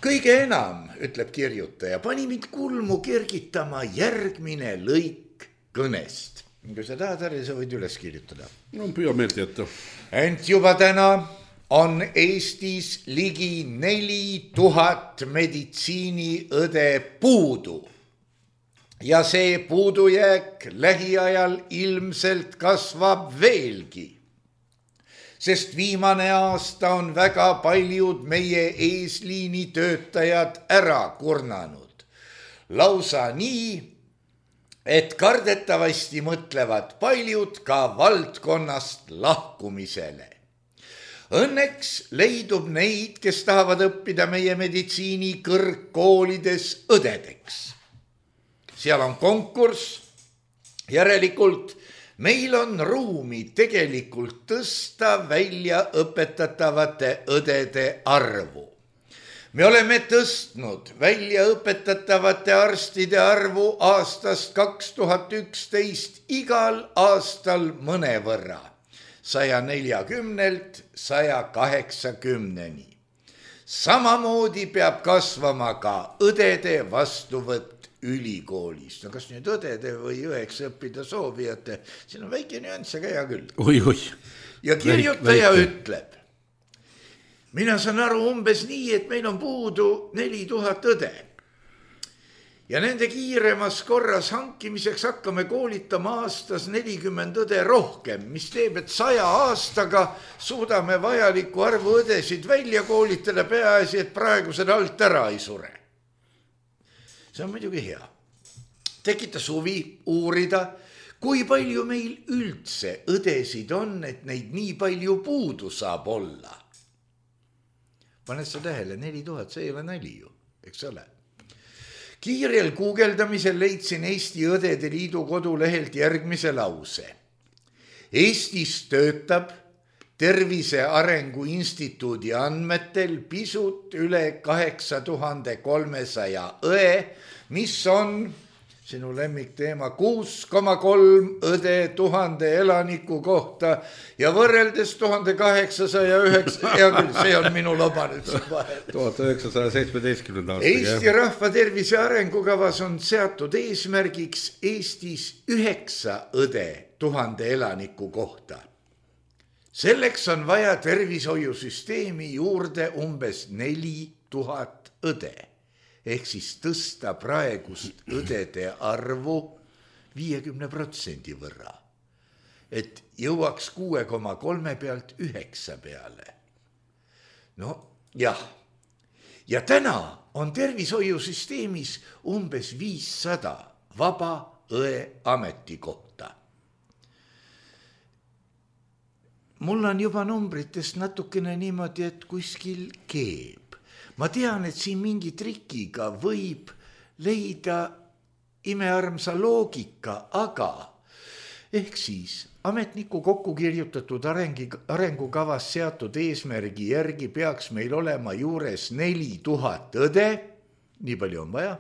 [SPEAKER 3] kõige enam, ütleb kirjutaja, pani mind kulmu kergitama järgmine lõik kõnest. Kui sa tahad, Harri, sa võid üles kirjutada.
[SPEAKER 4] No püüa meelt jätta.
[SPEAKER 3] Ent juba täna on Eestis ligi neli tuhat meditsiiniõde puudu. Ja see puudujääk lähiajal ilmselt kasvab veelgi. Sest viimane aasta on väga paljud meie eesliini töötajad ära kurnanud. Lausa nii, et kardetavasti mõtlevad paljud ka valdkonnast lahkumisele. Õnneks leidub neid, kes tahavad õppida meie meditsiini kõrgkoolides õdedeks. Seal on konkurss, järelikult meil on ruumi tegelikult tõsta välja õpetatavate õdede arvu. Me oleme tõstnud välja õpetatavate arstide arvu aastast kaks tuhat üksteist igal aastal mõnevõrra, saja neljakümnelt saja kaheksakümneni. Samamoodi peab kasvama ka õdede vastuvõtt ülikoolis. No kas nüüd õdede või õeks õppida soovijate, siin on väike nüanss, aga hea küll.
[SPEAKER 4] Oi, oi.
[SPEAKER 3] Ja kirjutaja Väike. ütleb, mina saan aru umbes nii, et meil on puudu neli tuhat õde. Ja nende kiiremas korras hankimiseks hakkame koolitama aastas nelikümmend õde rohkem, mis teeb, et saja aastaga suudame vajaliku arvu õdesid välja koolitada peaasi, et praegused alt ära ei sure. See on muidugi hea. Tekita suvi uurida, kui palju meil üldse õdesid on, et neid nii palju puudu saab olla. Paned sa tähele, neli tuhat, see ei ole nali ju, eks ole. Kiirel guugeldamisel leidsin Eesti Õdede Liidu kodulehelt järgmise lause. Eestis töötab Tervise Arengu Instituudi andmetel pisut üle kaheksa tuhande kolmesaja õe, mis on sinu lemmikteema kuus koma kolm õde tuhande elaniku kohta ja võrreldes tuhande kaheksasaja üheksa, hea küll, see on minu loba nüüd siin vahel.
[SPEAKER 4] tuhat üheksasaja seitsmeteistkümnenda aastaga.
[SPEAKER 3] Eesti rahva tervise arengukavas on seatud eesmärgiks Eestis üheksa õde tuhande elaniku kohta. Selleks on vaja tervishoiusüsteemi juurde umbes neli tuhat õde. Ehk siis tõsta praegust õdede arvu viiekümne protsendi võrra, et jõuaks kuue koma kolme pealt üheksa peale. No jah, ja täna on tervishoiusüsteemis umbes viissada vaba õe ametikohta. Mul on juba numbritest natukene niimoodi, et kuskil keeb. Ma tean, et siin mingi trikiga võib leida imearmsa loogika, aga ehk siis ametniku kokku kirjutatud arengi, arengukavas seatud eesmärgi järgi peaks meil olema juures neli tuhat õde, nii palju on vaja.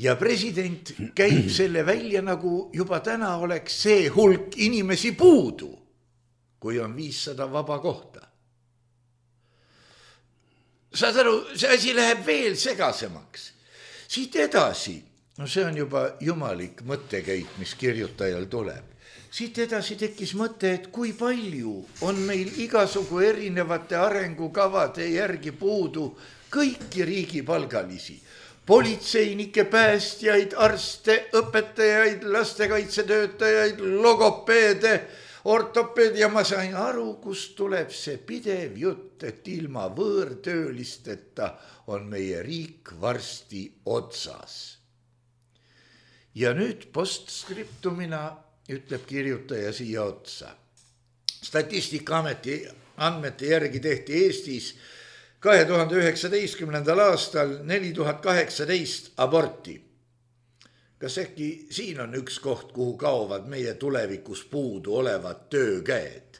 [SPEAKER 3] Ja president käib selle välja, nagu juba täna oleks see hulk inimesi puudu, kui on viissada vaba kohta. Saad aru, see asi läheb veel segasemaks. Siit edasi, no see on juba jumalik mõttekäik, mis kirjutajal tuleb. Siit edasi tekkis mõte, et kui palju on meil igasugu erinevate arengukavade järgi puudu kõiki riigipalgalisi. Politseinikke, päästjaid, arste, õpetajaid, lastekaitsetöötajaid, logopeede, ortopeed ja ma sain aru, kust tuleb see pidev jutt, et ilma võõrtöölisteta on meie riik varsti otsas. Ja nüüd postskriptumina ütleb kirjutaja siia otsa. Statistikaameti andmete järgi tehti Eestis kahe tuhande üheksateistkümnendal aastal neli tuhat kaheksateist aborti. Kas äkki siin on üks koht, kuhu kaovad meie tulevikus puudu olevad töökäed?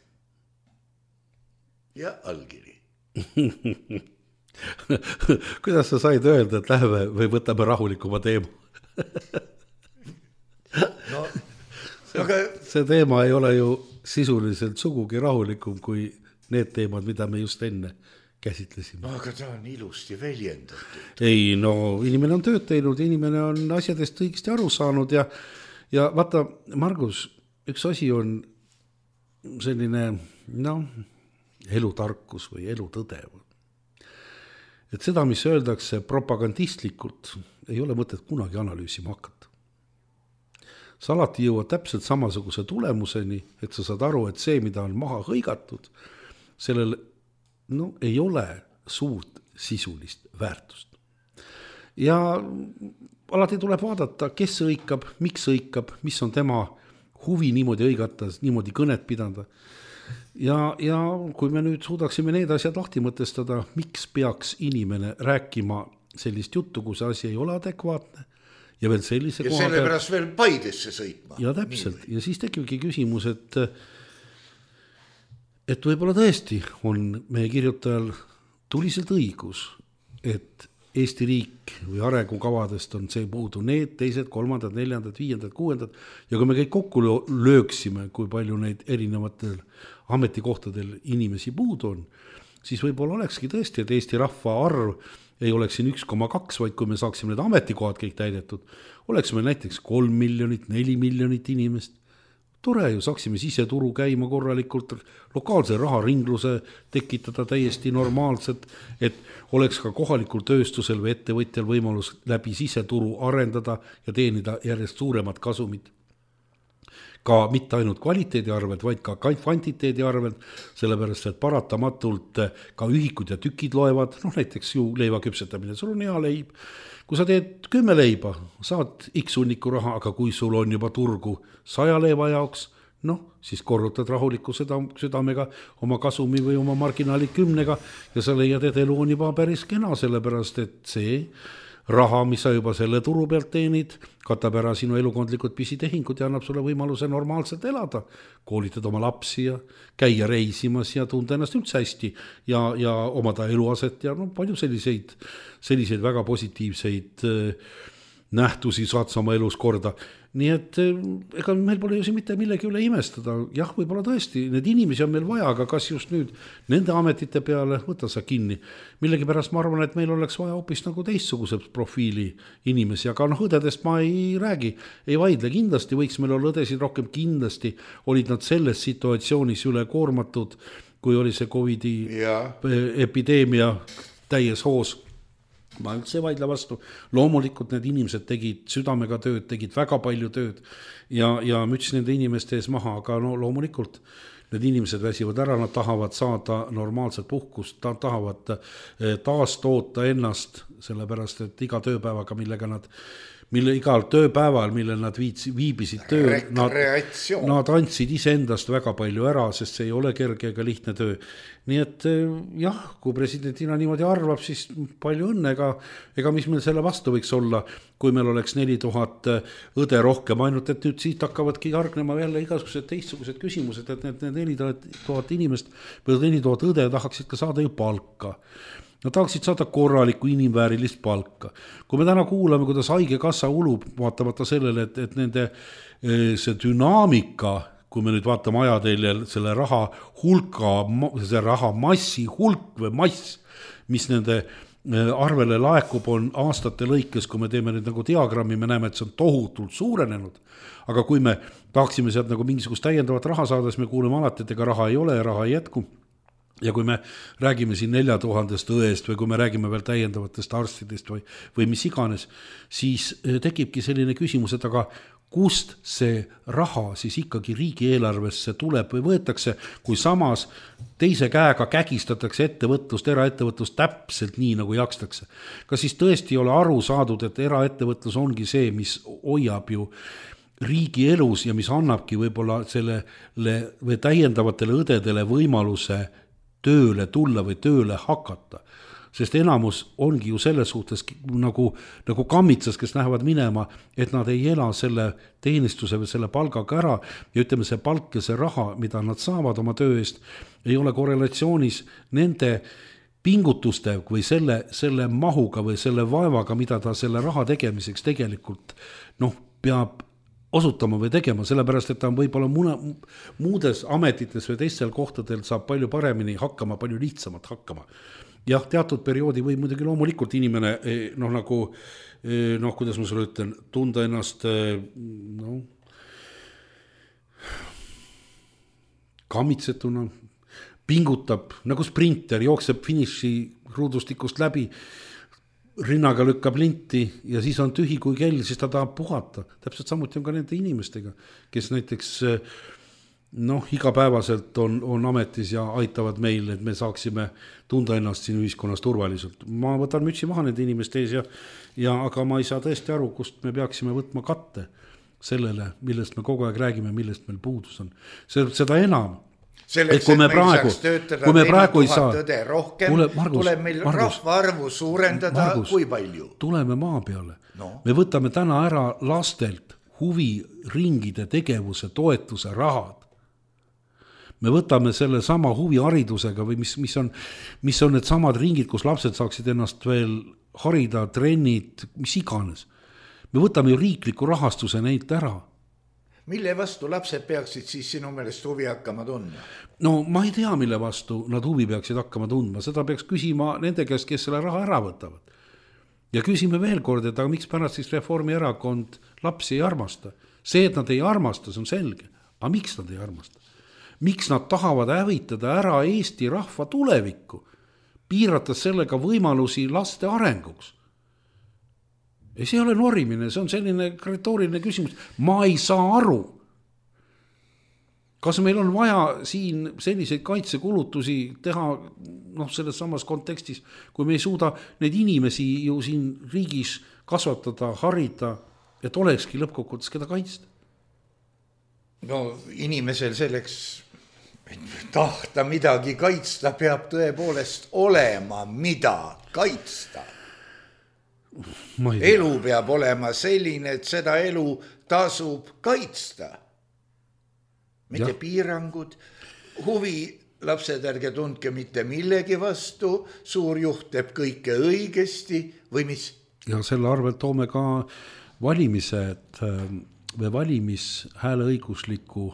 [SPEAKER 3] Ja allkiri.
[SPEAKER 4] Kuidas sa said öelda, et läheme või võtame rahulikuma teema?
[SPEAKER 3] No, aga...
[SPEAKER 4] See teema ei ole ju sisuliselt sugugi rahulikum kui need teemad, mida me just enne käsitlesime.
[SPEAKER 3] Aga ta on ilusti väljendatud.
[SPEAKER 4] Ei, no inimene on tööd teinud, inimene on asjadest õigesti aru saanud ja, ja vaata, Margus, üks asi on selline, noh, elutarkus või elutõde. Et seda, mis öeldakse propagandistlikult, ei ole mõtet kunagi analüüsima hakata. Sa alati jõuad täpselt samasuguse tulemuseni, et sa saad aru, et see, mida on maha hõigatud, sellel no, ei ole suurt sisulist väärtust. Ja alati tuleb vaadata, kes õikab, miks õikab, mis on tema huvi niimoodi õigata, niimoodi kõnet pidada. Ja, ja kui me nüüd suudaksime need asjad lahti mõtestada, miks peaks inimene rääkima sellist juttu, kui see asi ei ole adekvaatne ja veel sellise
[SPEAKER 3] ja selle pärast veel Paidesse sõitma.
[SPEAKER 4] Ja täpselt. Nii. Ja siis tekibki küsimus, et et võib-olla tõesti on meie kirjutajal tuliselt õigus, et Eesti riik või arengukavadest on see puudu need, teised, kolmandad, neljandad, viiendad, kuuendad ja kui me kõik kokku lööksime, kui palju neid erinevatel ametikohtadel inimesi puudu on, siis võib-olla olekski tõesti, et Eesti rahva arv ei oleks siin üks koma kaks, vaid kui me saaksime need ametikohad kõik täidetud, oleks meil näiteks kolm miljonit, neli miljonit inimest. Tore ju, saaksime siseturu käima korralikult, lokaalse raharingluse tekitada täiesti normaalselt, et oleks ka kohalikul tööstusel või ettevõtjal võimalus läbi siseturu arendada ja teenida järjest suuremat kasumit. Ka mitte ainult kvaliteedi arvelt, vaid ka kvantiteedi arvelt, sellepärast, et paratamatult ka ühikud ja tükid loevad, noh näiteks ju leiva küpsetamine, sul on hea leib. Kui sa teed kümme leiba, saad X hunniku raha, aga kui sul on juba turgu saja leiva jaoks, noh, siis korrutad rahuliku südamega oma kasumi või oma marginaali kümnega ja sa leiad, et elu on juba päris kena, sellepärast, et see raha, mis sa juba selle turu pealt teenid, katab ära sinu elukondlikud pisitehingud ja annab sulle võimaluse normaalselt elada. Koolitad oma lapsi ja käia reisimas ja tunda ennast üldse hästi ja, ja omada eluaset ja no, palju selliseid, selliseid väga positiivseid nähtusi saad sa oma elus korda. Nii et ega meil pole ju siin mitte millegi üle imestada. Jah, võib-olla tõesti, need inimesi on meil vaja, aga kas just nüüd nende ametite peale, võta sa kinni. Millegi pärast ma arvan, et meil oleks vaja hoopis nagu teistsuguse profiili inimesi, aga noh, õdedest ma ei räägi, ei vaidle. Kindlasti võiks meil olla õdesid rohkem, kindlasti olid nad selles situatsioonis üle koormatud, kui oli see Covidi ja. epideemia täies hoos. Ma üldse vaidle vastu. Loomulikult need inimesed tegid südamega tööd, tegid väga palju tööd ja, ja müts nende inimeste ees maha, aga no loomulikult need inimesed väsivad ära, nad tahavad saada normaalset puhkust, tahavad taas toota ennast, sellepärast et iga tööpäevaga, millega nad mille igal tööpäeval, mille nad viits, viibisid töö, nad, nad andsid iseendast väga palju ära, sest see ei ole kerge ega lihtne töö. Nii et jah, kui presidentina niimoodi arvab, siis palju õnne, ega, ega mis meil selle vastu võiks olla, kui meil oleks neli tuhat õde rohkem, ainult et nüüd siit hakkavadki jargnema jälle igasugused teistsugused küsimused, et need neli tuhat inimest või neli tuhat õde tahaksid ka saada ju palka. Nad tahaksid saada korralikku inimväärilist palka. Kui me täna kuulame, kuidas haigekassa ulub, vaatamata sellele, et, et nende see dünaamika, kui me nüüd vaatame ajateljel selle raha hulka, see raha massi hulk või mass, mis nende arvele laekub on aastate lõikes, kui me teeme nüüd nagu diagrammi, me näeme, et see on tohutult suurenenud. Aga kui me tahaksime sealt nagu mingisugust täiendavat raha saada, siis me kuuleme alati, et ega raha ei ole ja raha ei jätku. Ja kui me räägime siin nelja tuhandest õest või kui me räägime veel täiendavatest arstidest või, või mis iganes, siis tekibki selline küsimus, et aga kust see raha siis ikkagi riigieelarvesse tuleb või võetakse, kui samas teise käega kägistatakse ettevõtlust, eraettevõtlust täpselt nii, nagu jakstakse. Kas siis tõesti ei ole aru saadud, et eraettevõtlus ongi see, mis hoiab ju riigi elus ja mis annabki võib-olla sellele või täiendavatele õdedele võimaluse tööle tulla või tööle hakata. Sest enamus ongi ju selles suhtes nagu, nagu kammitsas, kes lähevad minema, et nad ei ela selle teenistuse või selle palgaga ära ja ütleme, see palk ja see raha, mida nad saavad oma töö eest, ei ole korrelatsioonis nende pingutuste või selle, selle mahuga või selle vaevaga, mida ta selle raha tegemiseks tegelikult noh, peab osutama või tegema, sellepärast, et ta on võib-olla muna, muudes ametites või teistel kohtadel saab palju paremini hakkama, palju lihtsamalt hakkama. jah, teatud perioodi võib muidugi loomulikult inimene noh, nagu noh, kuidas ma sulle ütlen, tunda ennast noh, kammitsetuna, pingutab nagu sprinter, jookseb finiši ruudustikust läbi, rinnaga lükkab linti ja siis on tühi kui kell, siis ta tahab puhata. Täpselt samuti on ka nende inimestega, kes näiteks noh, igapäevaselt on, on ametis ja aitavad meil, et me saaksime tunda ennast siin ühiskonnas turvaliselt. Ma võtan mütsi maha nende inimeste ees ja, ja aga ma ei saa tõesti aru, kust me peaksime võtma katte sellele, millest me kogu aeg räägime, millest meil puudus on. Seda enam,
[SPEAKER 3] selleks, et, et meil praegu, saaks töötada neli tuhat õde rohkem, Tule, Margus, tuleb meil Margus, rahvaarvu suurendada Margus, kui palju?
[SPEAKER 4] Tuleme maa peale. No. Me võtame täna ära lastelt huviringide tegevuse toetuse rahad. Me võtame selle sama huviharidusega või mis, mis, on, mis on need samad ringid, kus lapsed saaksid ennast veel harida, trennid, mis iganes. Me võtame ju riikliku rahastuse neilt ära.
[SPEAKER 3] Mille vastu lapsed peaksid siis sinu meelest huvi hakkama tundma?
[SPEAKER 4] No ma ei tea, mille vastu nad huvi peaksid hakkama tundma. Seda peaks küsima nende käest, kes selle raha ära võtavad. Ja küsime veel kord, et aga miks pärast siis Reformierakond lapsi ei armasta? See, et nad ei armasta, see on selge. Aga miks nad ei armasta? Miks nad tahavad hävitada ära Eesti rahva tulevikku, piirates sellega võimalusi laste arenguks? Ja see ei ole norimine, see on selline retooriline küsimus. Ma ei saa aru, kas meil on vaja siin selliseid kaitsekulutusi teha noh, selles samas kontekstis, kui me ei suuda neid inimesi ju siin riigis kasvatada, harida, et olekski lõppkokkuvõttes keda kaitsta.
[SPEAKER 3] No inimesel selleks tahta midagi kaitsta peab tõepoolest olema, mida kaitsta. Elu peab olema selline, et seda elu tasub kaitsta. Mitte ja. Piirangud, huvi, lapsed ärge tundke mitte millegi vastu, suur juht teeb kõike õigesti või mis?
[SPEAKER 4] Ja selle arvel toome ka valimised või valimishääleõigusliku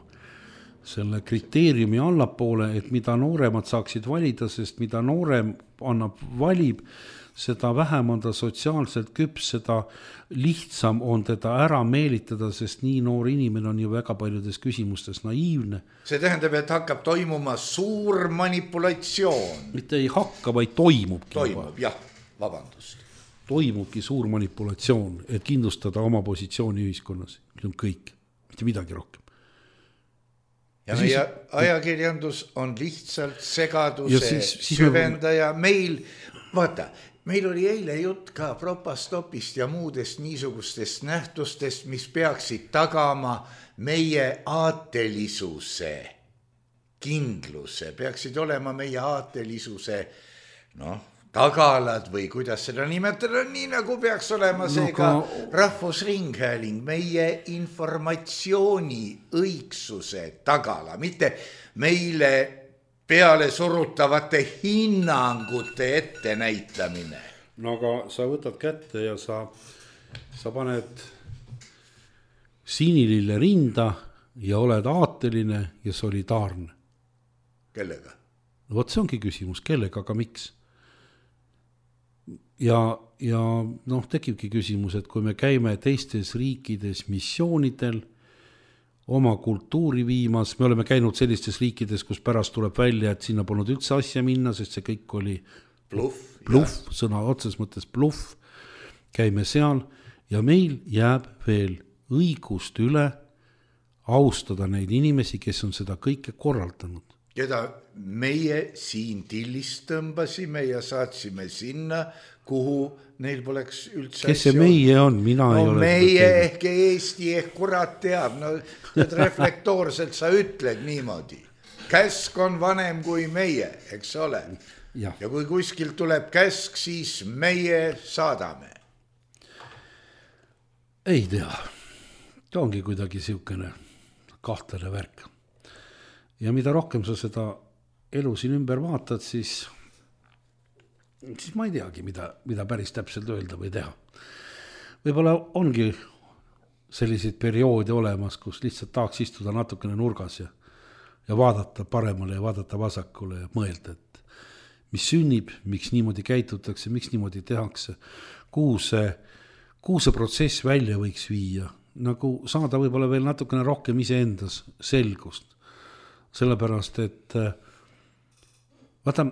[SPEAKER 4] selle kriteeriumi allapoole, et mida nooremad saaksid valida, sest mida noorem annab valib, seda vähem on ta sotsiaalselt küps, seda lihtsam on teda ära meelitada, sest nii noor inimene on ju väga paljudes küsimustes naiivne.
[SPEAKER 3] See tähendab, et hakkab toimuma suur manipulatsioon.
[SPEAKER 4] Mitte ei hakka, vaid toimubki.
[SPEAKER 3] Toimub, jah, vabandust.
[SPEAKER 4] Toimubki suur manipulatsioon, et kindlustada oma positsiooni ühiskonnas. See on kõik, mitte midagi rohkem.
[SPEAKER 3] Ja, ja meie siis, ajakirjandus on lihtsalt segaduse siis, siis süvendaja. Me... Meil, vaata, meil oli eile jutt ka propastopist ja muudest niisugustest nähtustest, mis peaksid tagama meie aatelisuse, kindluse, peaksid olema meie aatelisuse noh, tagalad või kuidas seda nimetada, nii nagu peaks olema see no, ka rahvusringhääling, meie informatsiooni õigsuse tagala, mitte meile peale surutavate hinnangute ette näitamine.
[SPEAKER 4] No aga sa võtad kätte ja sa, sa paned sinilille rinda ja oled aateline ja solidaarne.
[SPEAKER 3] Kellega?
[SPEAKER 4] No vot see ongi küsimus, kellega, aga miks? Ja, ja noh, tekibki küsimus, et kui me käime teistes riikides missioonidel, oma kultuuri viimas, me oleme käinud sellistes riikides, kus pärast tuleb välja, et sinna polnud üldse asja minna, sest see kõik oli
[SPEAKER 3] bluff,
[SPEAKER 4] bluff sõna otses mõttes bluff, käime seal ja meil jääb veel õigust üle austada neid inimesi, kes on seda kõike korraldanud.
[SPEAKER 3] Keda meie siin tillist tõmbasime ja saatsime sinna, kuhu neil poleks üldse...
[SPEAKER 4] Kes see meie on? Mina
[SPEAKER 3] no
[SPEAKER 4] ei ole
[SPEAKER 3] meie ehk Eesti ehk kurat teab. No, reflektoorselt sa ütled niimoodi. Käsk on vanem kui meie, eks ole. Ja, ja kui kuskil tuleb käsk, siis meie saadame.
[SPEAKER 4] Ei tea. Ta ongi kuidagi siukene kahtlane värk. Ja mida rohkem sa seda elu siin ümber vaatad, siis... siis ma ei teagi, mida, mida päris täpselt öelda või teha. Võib-olla ongi selliseid perioode olemas, kus lihtsalt tahaks istuda natukene nurgas ja, ja vaadata paremale ja vaadata vasakule ja mõelda, et mis sünnib, miks niimoodi käitutakse, miks niimoodi tehakse, kuhu see, kuhu see protsess välja võiks viia, nagu saada võib-olla veel natukene rohkem iseendas selgust. Sellepärast, et vaata,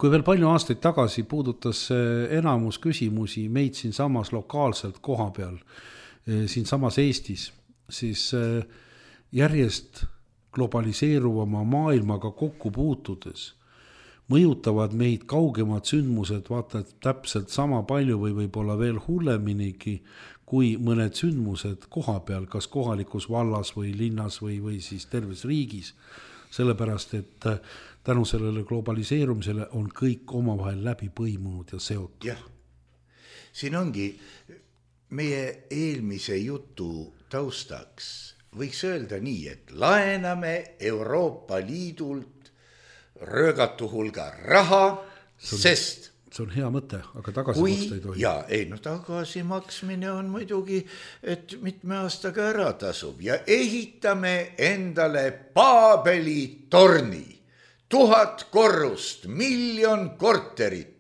[SPEAKER 4] kui veel palju aastaid tagasi puudutas enamus küsimusi meid siin samas lokaalselt koha peal, siin samas Eestis, siis järjest globaliseeruvama maailmaga kokku puutudes mõjutavad meid kaugemad sündmused, vaata, täpselt sama palju või võib-olla veel hulleminigi kui mõned sündmused koha peal, kas kohalikus vallas või linnas või, või siis terves riigis. Sellepärast, et tänu sellele globaliseerumisele on kõik omavahel läbi põimunud ja seotud.
[SPEAKER 3] Jah, siin ongi meie eelmise jutu taustaks. Võiks öelda nii, et laename Euroopa Liidult röögatu hulga raha,
[SPEAKER 4] see on,
[SPEAKER 3] sest
[SPEAKER 4] see on hea mõte, aga tagasi
[SPEAKER 3] kui,
[SPEAKER 4] maksta ei tohi.
[SPEAKER 3] Jaa, ei, no tagasi maksmine on muidugi, et mitme aastaga ära tasub ja ehitame endale Paabeli torni, tuhat korrust, miljon korterit.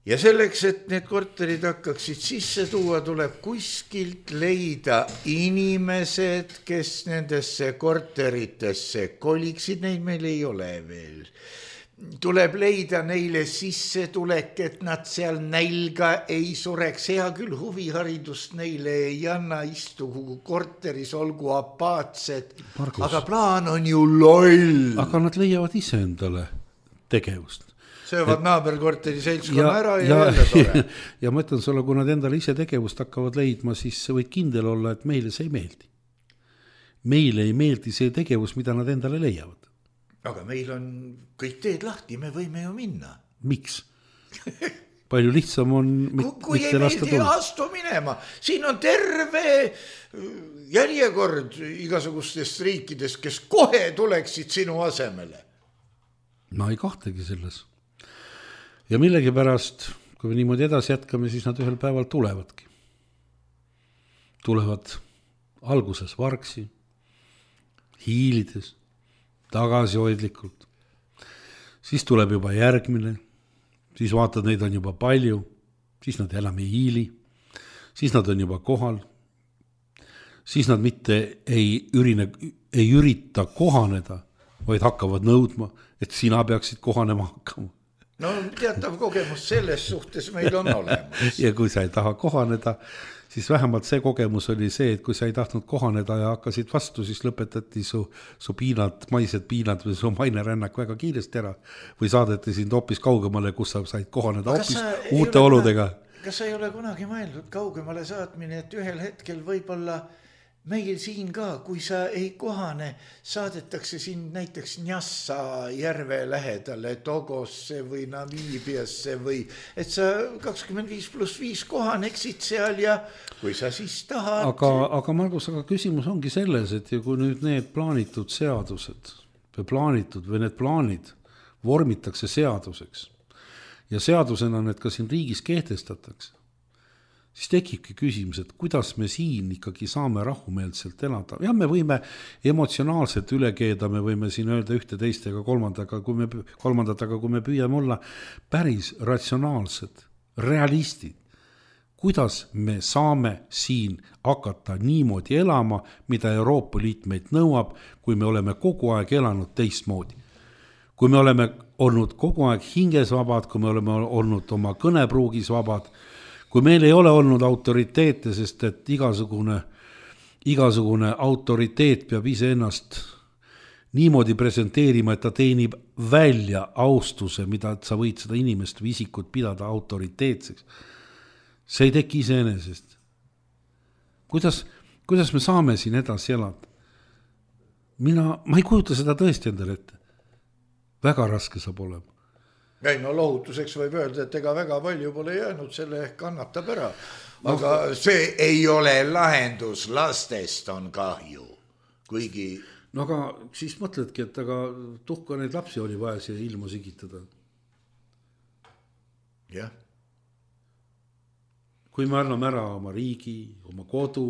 [SPEAKER 3] Ja selleks, et need korterid hakkaksid sisse tuua, tuleb kuskilt leida inimesed, kes nendesse korteritesse koliksid, neid meil ei ole veel. Tuleb leida neile sissetulek, et nad seal nälga ei sureks. Hea küll, huviharidust neile ei anna, istugu korteris, olgu apaatsed.
[SPEAKER 4] Margus.
[SPEAKER 3] Aga plaan on ju loll.
[SPEAKER 4] Aga nad leiavad ise endale tegevust.
[SPEAKER 3] Söövad et... naaberkorteri seltskonna ja, ära ja,
[SPEAKER 4] ja
[SPEAKER 3] jälle tore.
[SPEAKER 4] Ja ma ütlen sulle, kui nad endale ise tegevust hakkavad leidma, siis võid kindel olla, et meile see ei meeldi. Meile ei meeldi see tegevus, mida nad endale leiavad.
[SPEAKER 3] Aga meil on kõik teed lahti, me võime ju minna.
[SPEAKER 4] Miks? Palju lihtsam on mit,
[SPEAKER 3] kui mitte lasta tulla. Kui ei meeldi, astu minema. Siin on terve järjekord igasugustest riikidest, kes kohe tuleksid sinu asemele.
[SPEAKER 4] Ma ei kahtegi selles. Ja millegi pärast, kui me niimoodi edasi jätkame, siis nad ühel päeval tulevadki. Tulevad alguses vargsi, hiilides, tagasihoidlikult. Siis tuleb juba järgmine, siis vaatad, neid on juba palju, siis nad enam ei hiili, siis nad on juba kohal, siis nad mitte ei, ürine, ei ürita kohaneda, vaid hakkavad nõudma, et sina peaksid kohanema hakkama.
[SPEAKER 3] No teatav kogemus selles suhtes meil on olemas.
[SPEAKER 4] Ja kui sa ei taha kohaneda, siis vähemalt see kogemus oli see, et kui sa ei tahtnud kohaneda ja hakkasid vastu, siis lõpetati su, su piinad, maised piinad või su mainerännak väga kiiresti ära või saadeti sind hoopis kaugemale, kus sa said kohaneda hoopis uute oludega.
[SPEAKER 3] Kas sa ei ole kunagi mõeldud kaugemale saatmine, et ühel hetkel võib-olla meil siin ka, kui sa ei kohane, saadetakse sind näiteks Njassa järve lähedale, Togosse või Namiibiasse või et sa kakskümmend viis pluss viis kohaneksid seal ja kui sa siis tahad.
[SPEAKER 4] Aga, aga Margus, aga küsimus ongi selles, et kui nüüd need plaanitud seadused või plaanitud või need plaanid vormitakse seaduseks ja seadusena need ka siin riigis kehtestatakse, siis tekibki küsimus, et kuidas me siin ikkagi saame rahumeelselt elada. Ja me võime emotsionaalselt üle keeda, me võime siin öelda ühte teist ega kolmandaga, kui me, kolmandataga, kui me püüame olla päris ratsionaalsed, realistid. Kuidas me saame siin hakata niimoodi elama, mida Euroopa Liit meid nõuab, kui me oleme kogu aeg elanud teistmoodi. Kui me oleme olnud kogu aeg hinges vabad, kui me oleme olnud oma kõnepruugis vabad, kui meil ei ole olnud autoriteete, sest et igasugune, igasugune autoriteet peab ise ennast niimoodi presenteerima, et ta teenib välja austuse, mida sa võid seda inimest või isikut pidada autoriteetseks. See ei teki iseenesest. Kuidas, kuidas me saame siin edasi elada? Mina, ma ei kujuta seda tõesti endale ette. Väga raske saab olema.
[SPEAKER 3] Ei, no lohutuseks võib öelda, et ega väga palju pole jäänud, selle ehk kannatab ära. Aga no, see ei ole lahendus, lastest on kahju. Kuigi...
[SPEAKER 4] No aga siis mõtledki, et aga tuhka neid lapsi oli vaja siia ilma sigitada.
[SPEAKER 3] Jah.
[SPEAKER 4] Kui me anname ära oma riigi, oma kodu,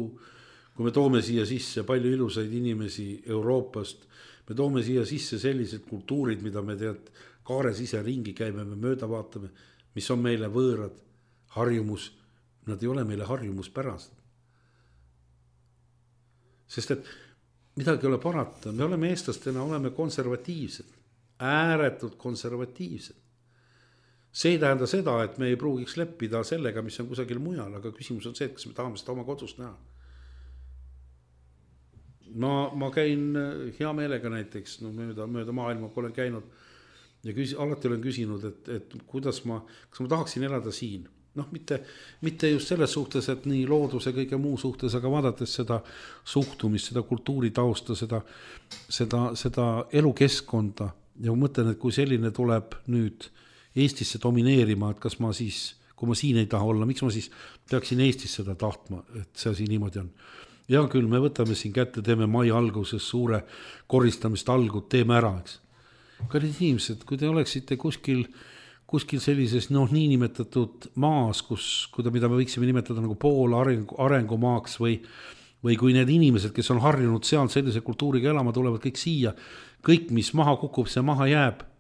[SPEAKER 4] kui me toome siia sisse palju ilusaid inimesi Euroopast, me toome siia sisse sellised kultuurid, mida me tead, kaares ise ringi käime, me mööda vaatame, mis on meile võõrad, harjumus, nad ei ole meile harjumuspärased. Sest et midagi ei ole parata, me oleme eestlastena, oleme konservatiivsed, ääretult konservatiivsed. See ei tähenda seda, et me ei pruugiks leppida sellega, mis on kusagil mujal, aga küsimus on see, et kas me tahame seda oma kodust näha. Ma, ma käin hea meelega näiteks, no mööda, mööda maailma, kui olen käinud ja küs, alati olen küsinud, et, et kuidas ma, kas ma tahaksin elada siin. Noh, mitte, mitte just selles suhtes, et nii looduse kõige muu suhtes, aga vaadates seda suhtumist, seda kultuuritausta, seda, seda, seda elukeskkonda ja mõtlen, et kui selline tuleb nüüd Eestisse domineerima, et kas ma siis, kui ma siin ei taha olla, miks ma siis peaksin Eestis seda tahtma, et see asi niimoodi on. Ja küll, me võtame siin kätte, teeme mai alguses suure koristamist algud, teeme ära, eks. Kallid inimesed, kui te oleksite kuskil, kuskil sellises noh, niinimetatud maas, kus, mida me võiksime nimetada nagu pool arengu, arengumaaks või, või kui need inimesed, kes on harjunud seal sellise kultuuriga elama, tulevad kõik siia, kõik, mis maha kukub, see maha jääb.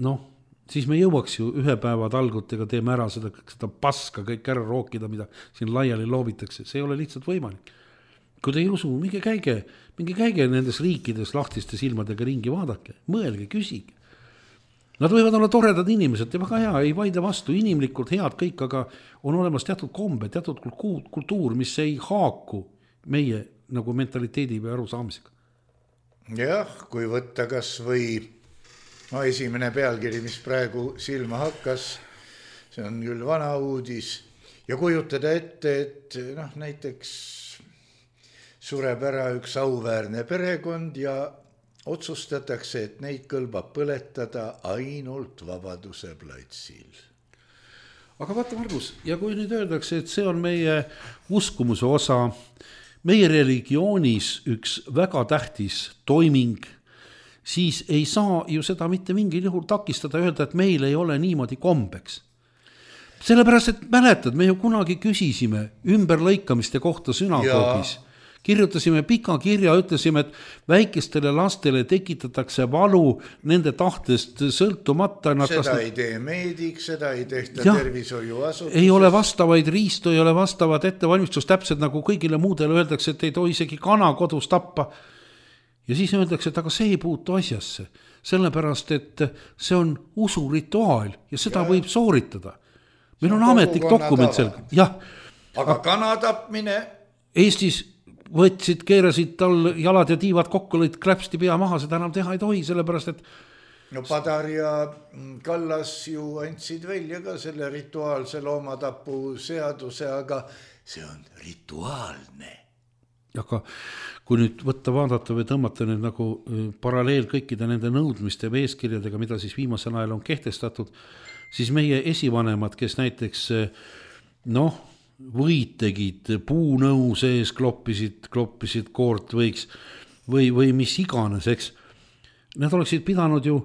[SPEAKER 4] Noh, siis me jõuaks ju ühe päeva talgutega teeme ära seda, seda paska kõik ära rookida, mida siin laiali loobitakse. See ei ole lihtsalt võimalik. Kui te ei usu, minge käige, minge käige nendes riikides lahtiste silmadega ringi, vaadake, mõelge, küsige. Nad võivad olla toredad inimesed ja väga hea, ei vaide vastu, inimlikult head kõik, aga on olemas teatud kombe, teatud kultuur, mis ei haaku meie nagu mentaliteedi või arusaamisega.
[SPEAKER 3] Jah, kui võtta kas või no, esimene pealkiri, mis praegu silma hakkas, see on küll vana uudis ja kujutada ette, et noh, näiteks sureb ära üks auväärne perekond ja otsustatakse, et neid kõlbab põletada ainult Vabaduse platsil.
[SPEAKER 4] Aga vaata, Margus, ja kui nüüd öeldakse, et see on meie uskumuse osa, meie religioonis üks väga tähtis toiming, siis ei saa ju seda mitte mingil juhul takistada öelda, et meil ei ole niimoodi kombeks. Sellepärast, et mäletad, me ju kunagi küsisime ümberlõikamiste kohta sünagoogis. Kirjutasime pika kirja, ütlesime, et väikestele lastele tekitatakse valu nende tahtest sõltumata.
[SPEAKER 3] Seda ei tee meedik, seda ei tehta tervishoiuasutuses.
[SPEAKER 4] Ei ole vastavaid riistu, ei ole vastavad ettevalmistus, täpselt nagu kõigile muudele öeldakse, et ei tohi isegi kana kodus tappa. Ja siis öeldakse, et aga see ei puutu asjasse, sellepärast, et see on usurituaal ja seda ja. Võib sooritada. Meil on, on ametlik dokument selge. Jah.
[SPEAKER 3] Aga kana tapmine?
[SPEAKER 4] Eestis võtsid, keerasid tal jalad ja tiivad kokku, lõid kläpsti pea maha, seda enam teha ei tohi, sellepärast, et
[SPEAKER 3] no Padar ja Kallas ju andsid välja ka selle rituaalse loomatapu seaduse, aga see on rituaalne.
[SPEAKER 4] Aga kui nüüd võtta, vaadata või tõmmata nüüd nagu paralleel kõikide nende nõudmiste või eeskirjadega, mida siis viimasel ajal on kehtestatud, siis meie esivanemad, kes näiteks noh, võid tegid, puunõu sees kloppisid, kloppisid koort võiks või, või mis iganes, eks. Nad oleksid pidanud ju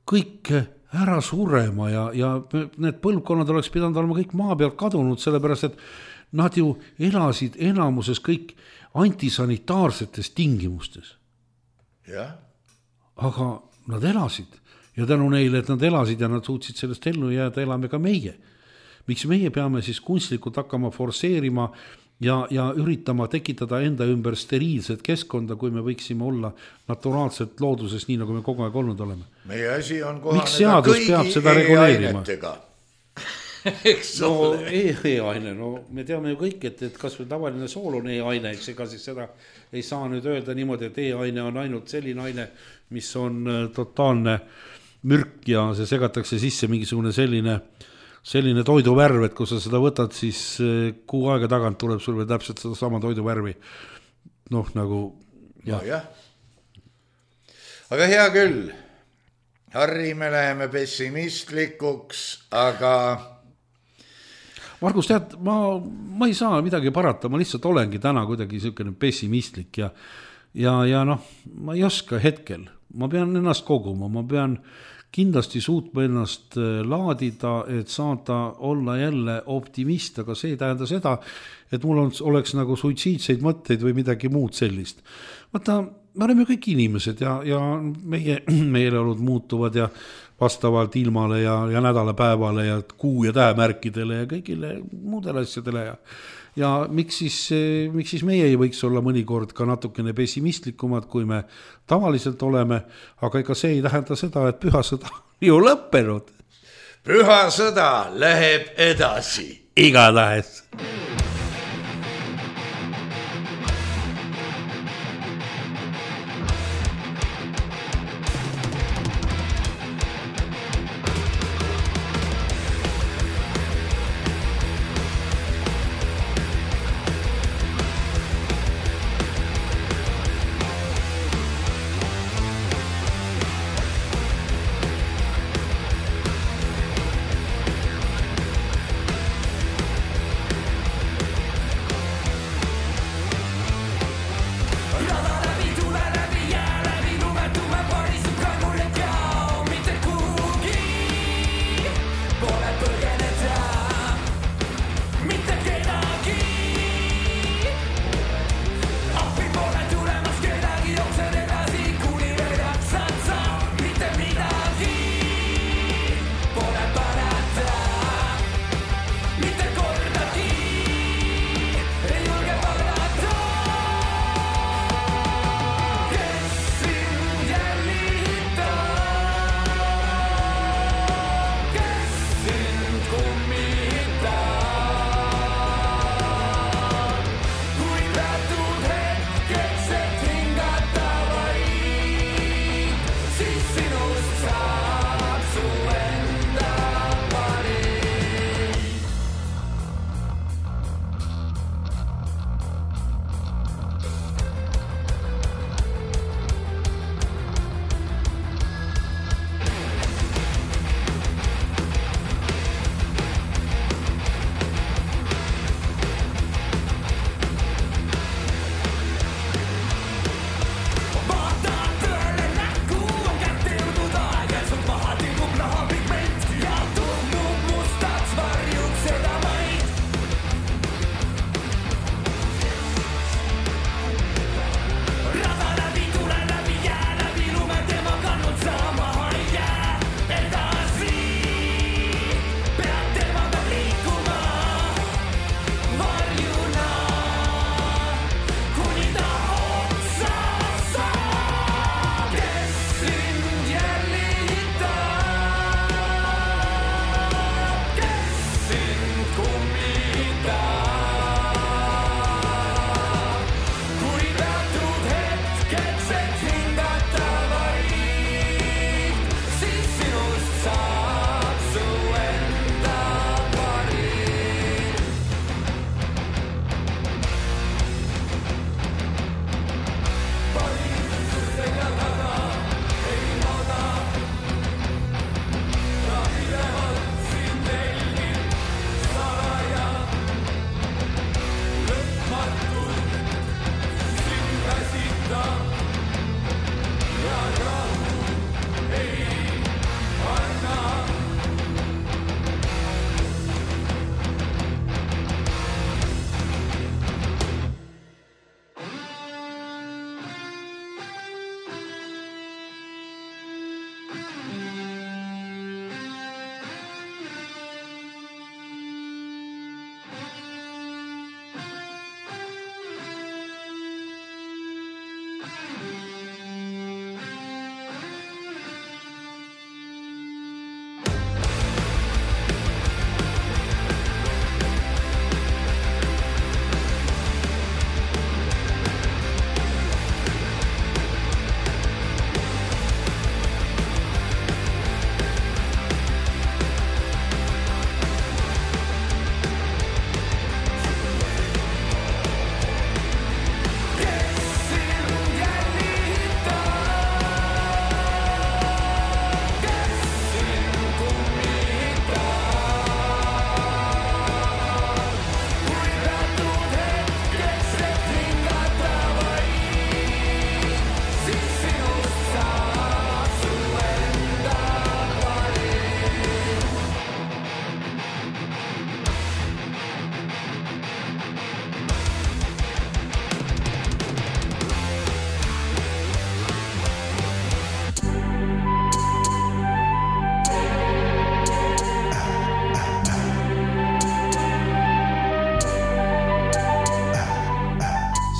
[SPEAKER 4] kõik ära surema ja, ja need põlvkonnad oleks pidanud olema kõik maa pealt kadunud, sellepärast, et nad ju elasid enamuses kõik antisanitaarsetes tingimustes.
[SPEAKER 3] Ja.
[SPEAKER 4] Aga nad elasid ja tänu neile, et nad elasid ja nad suutsid sellest ellu jääda, elame ka meie. Miks meie peame siis kunstlikult hakkama forseerima ja, ja üritama tekitada enda ümber steriilset keskkonda, kui me võiksime olla naturaalselt looduses, nii nagu me kogu aeg olnud oleme.
[SPEAKER 3] Meie asi on kohaneda kõigi e-ainetega.
[SPEAKER 4] No e-aine, no me teame ju kõik, et, et kas või tavaline sool on e-aine, eks ega siis seda ei saa nüüd öelda niimoodi, et e-aine on ainult selline aine, mis on totaalne mürk ja see segatakse sisse mingisugune selline selline toiduvärv, et kui sa seda võtad, siis kuu aega tagant tuleb sul veel täpselt seda sama toiduvärvi. Noh, nagu
[SPEAKER 3] jah. No, jah. Aga hea küll. Harri, me läheme pessimistlikuks, aga
[SPEAKER 4] Margus, tead, ma, ma ei saa midagi parata, ma lihtsalt olengi täna kuidagi selline pessimistlik ja, ja, ja noh, ma ei oska hetkel, ma pean ennast koguma, ma pean kindlasti suutma ennast laadida, et saada olla jälle optimist, aga see ei tähenda seda, et mul on, oleks nagu suitsiidseid mõtteid või midagi muud sellist. Vaata, me oleme kõik inimesed ja, ja meie meeleolud muutuvad ja vastavalt ilmale ja, ja nädalapäevale ja kuu- ja tähemärkidele ja kõigile muudele asjadele ja ja miks siis, miks siis meie ei võiks olla mõnikord ka natukene pessimistlikumad, kui me tavaliselt oleme, aga ega see ei tähenda seda, et pühasõda ju lõppenud.
[SPEAKER 3] Pühasõda läheb edasi.
[SPEAKER 4] Igatahes.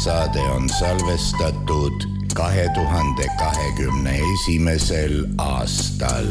[SPEAKER 3] saade on salvestatud kahe tuhande kahekümne esimesel aastal.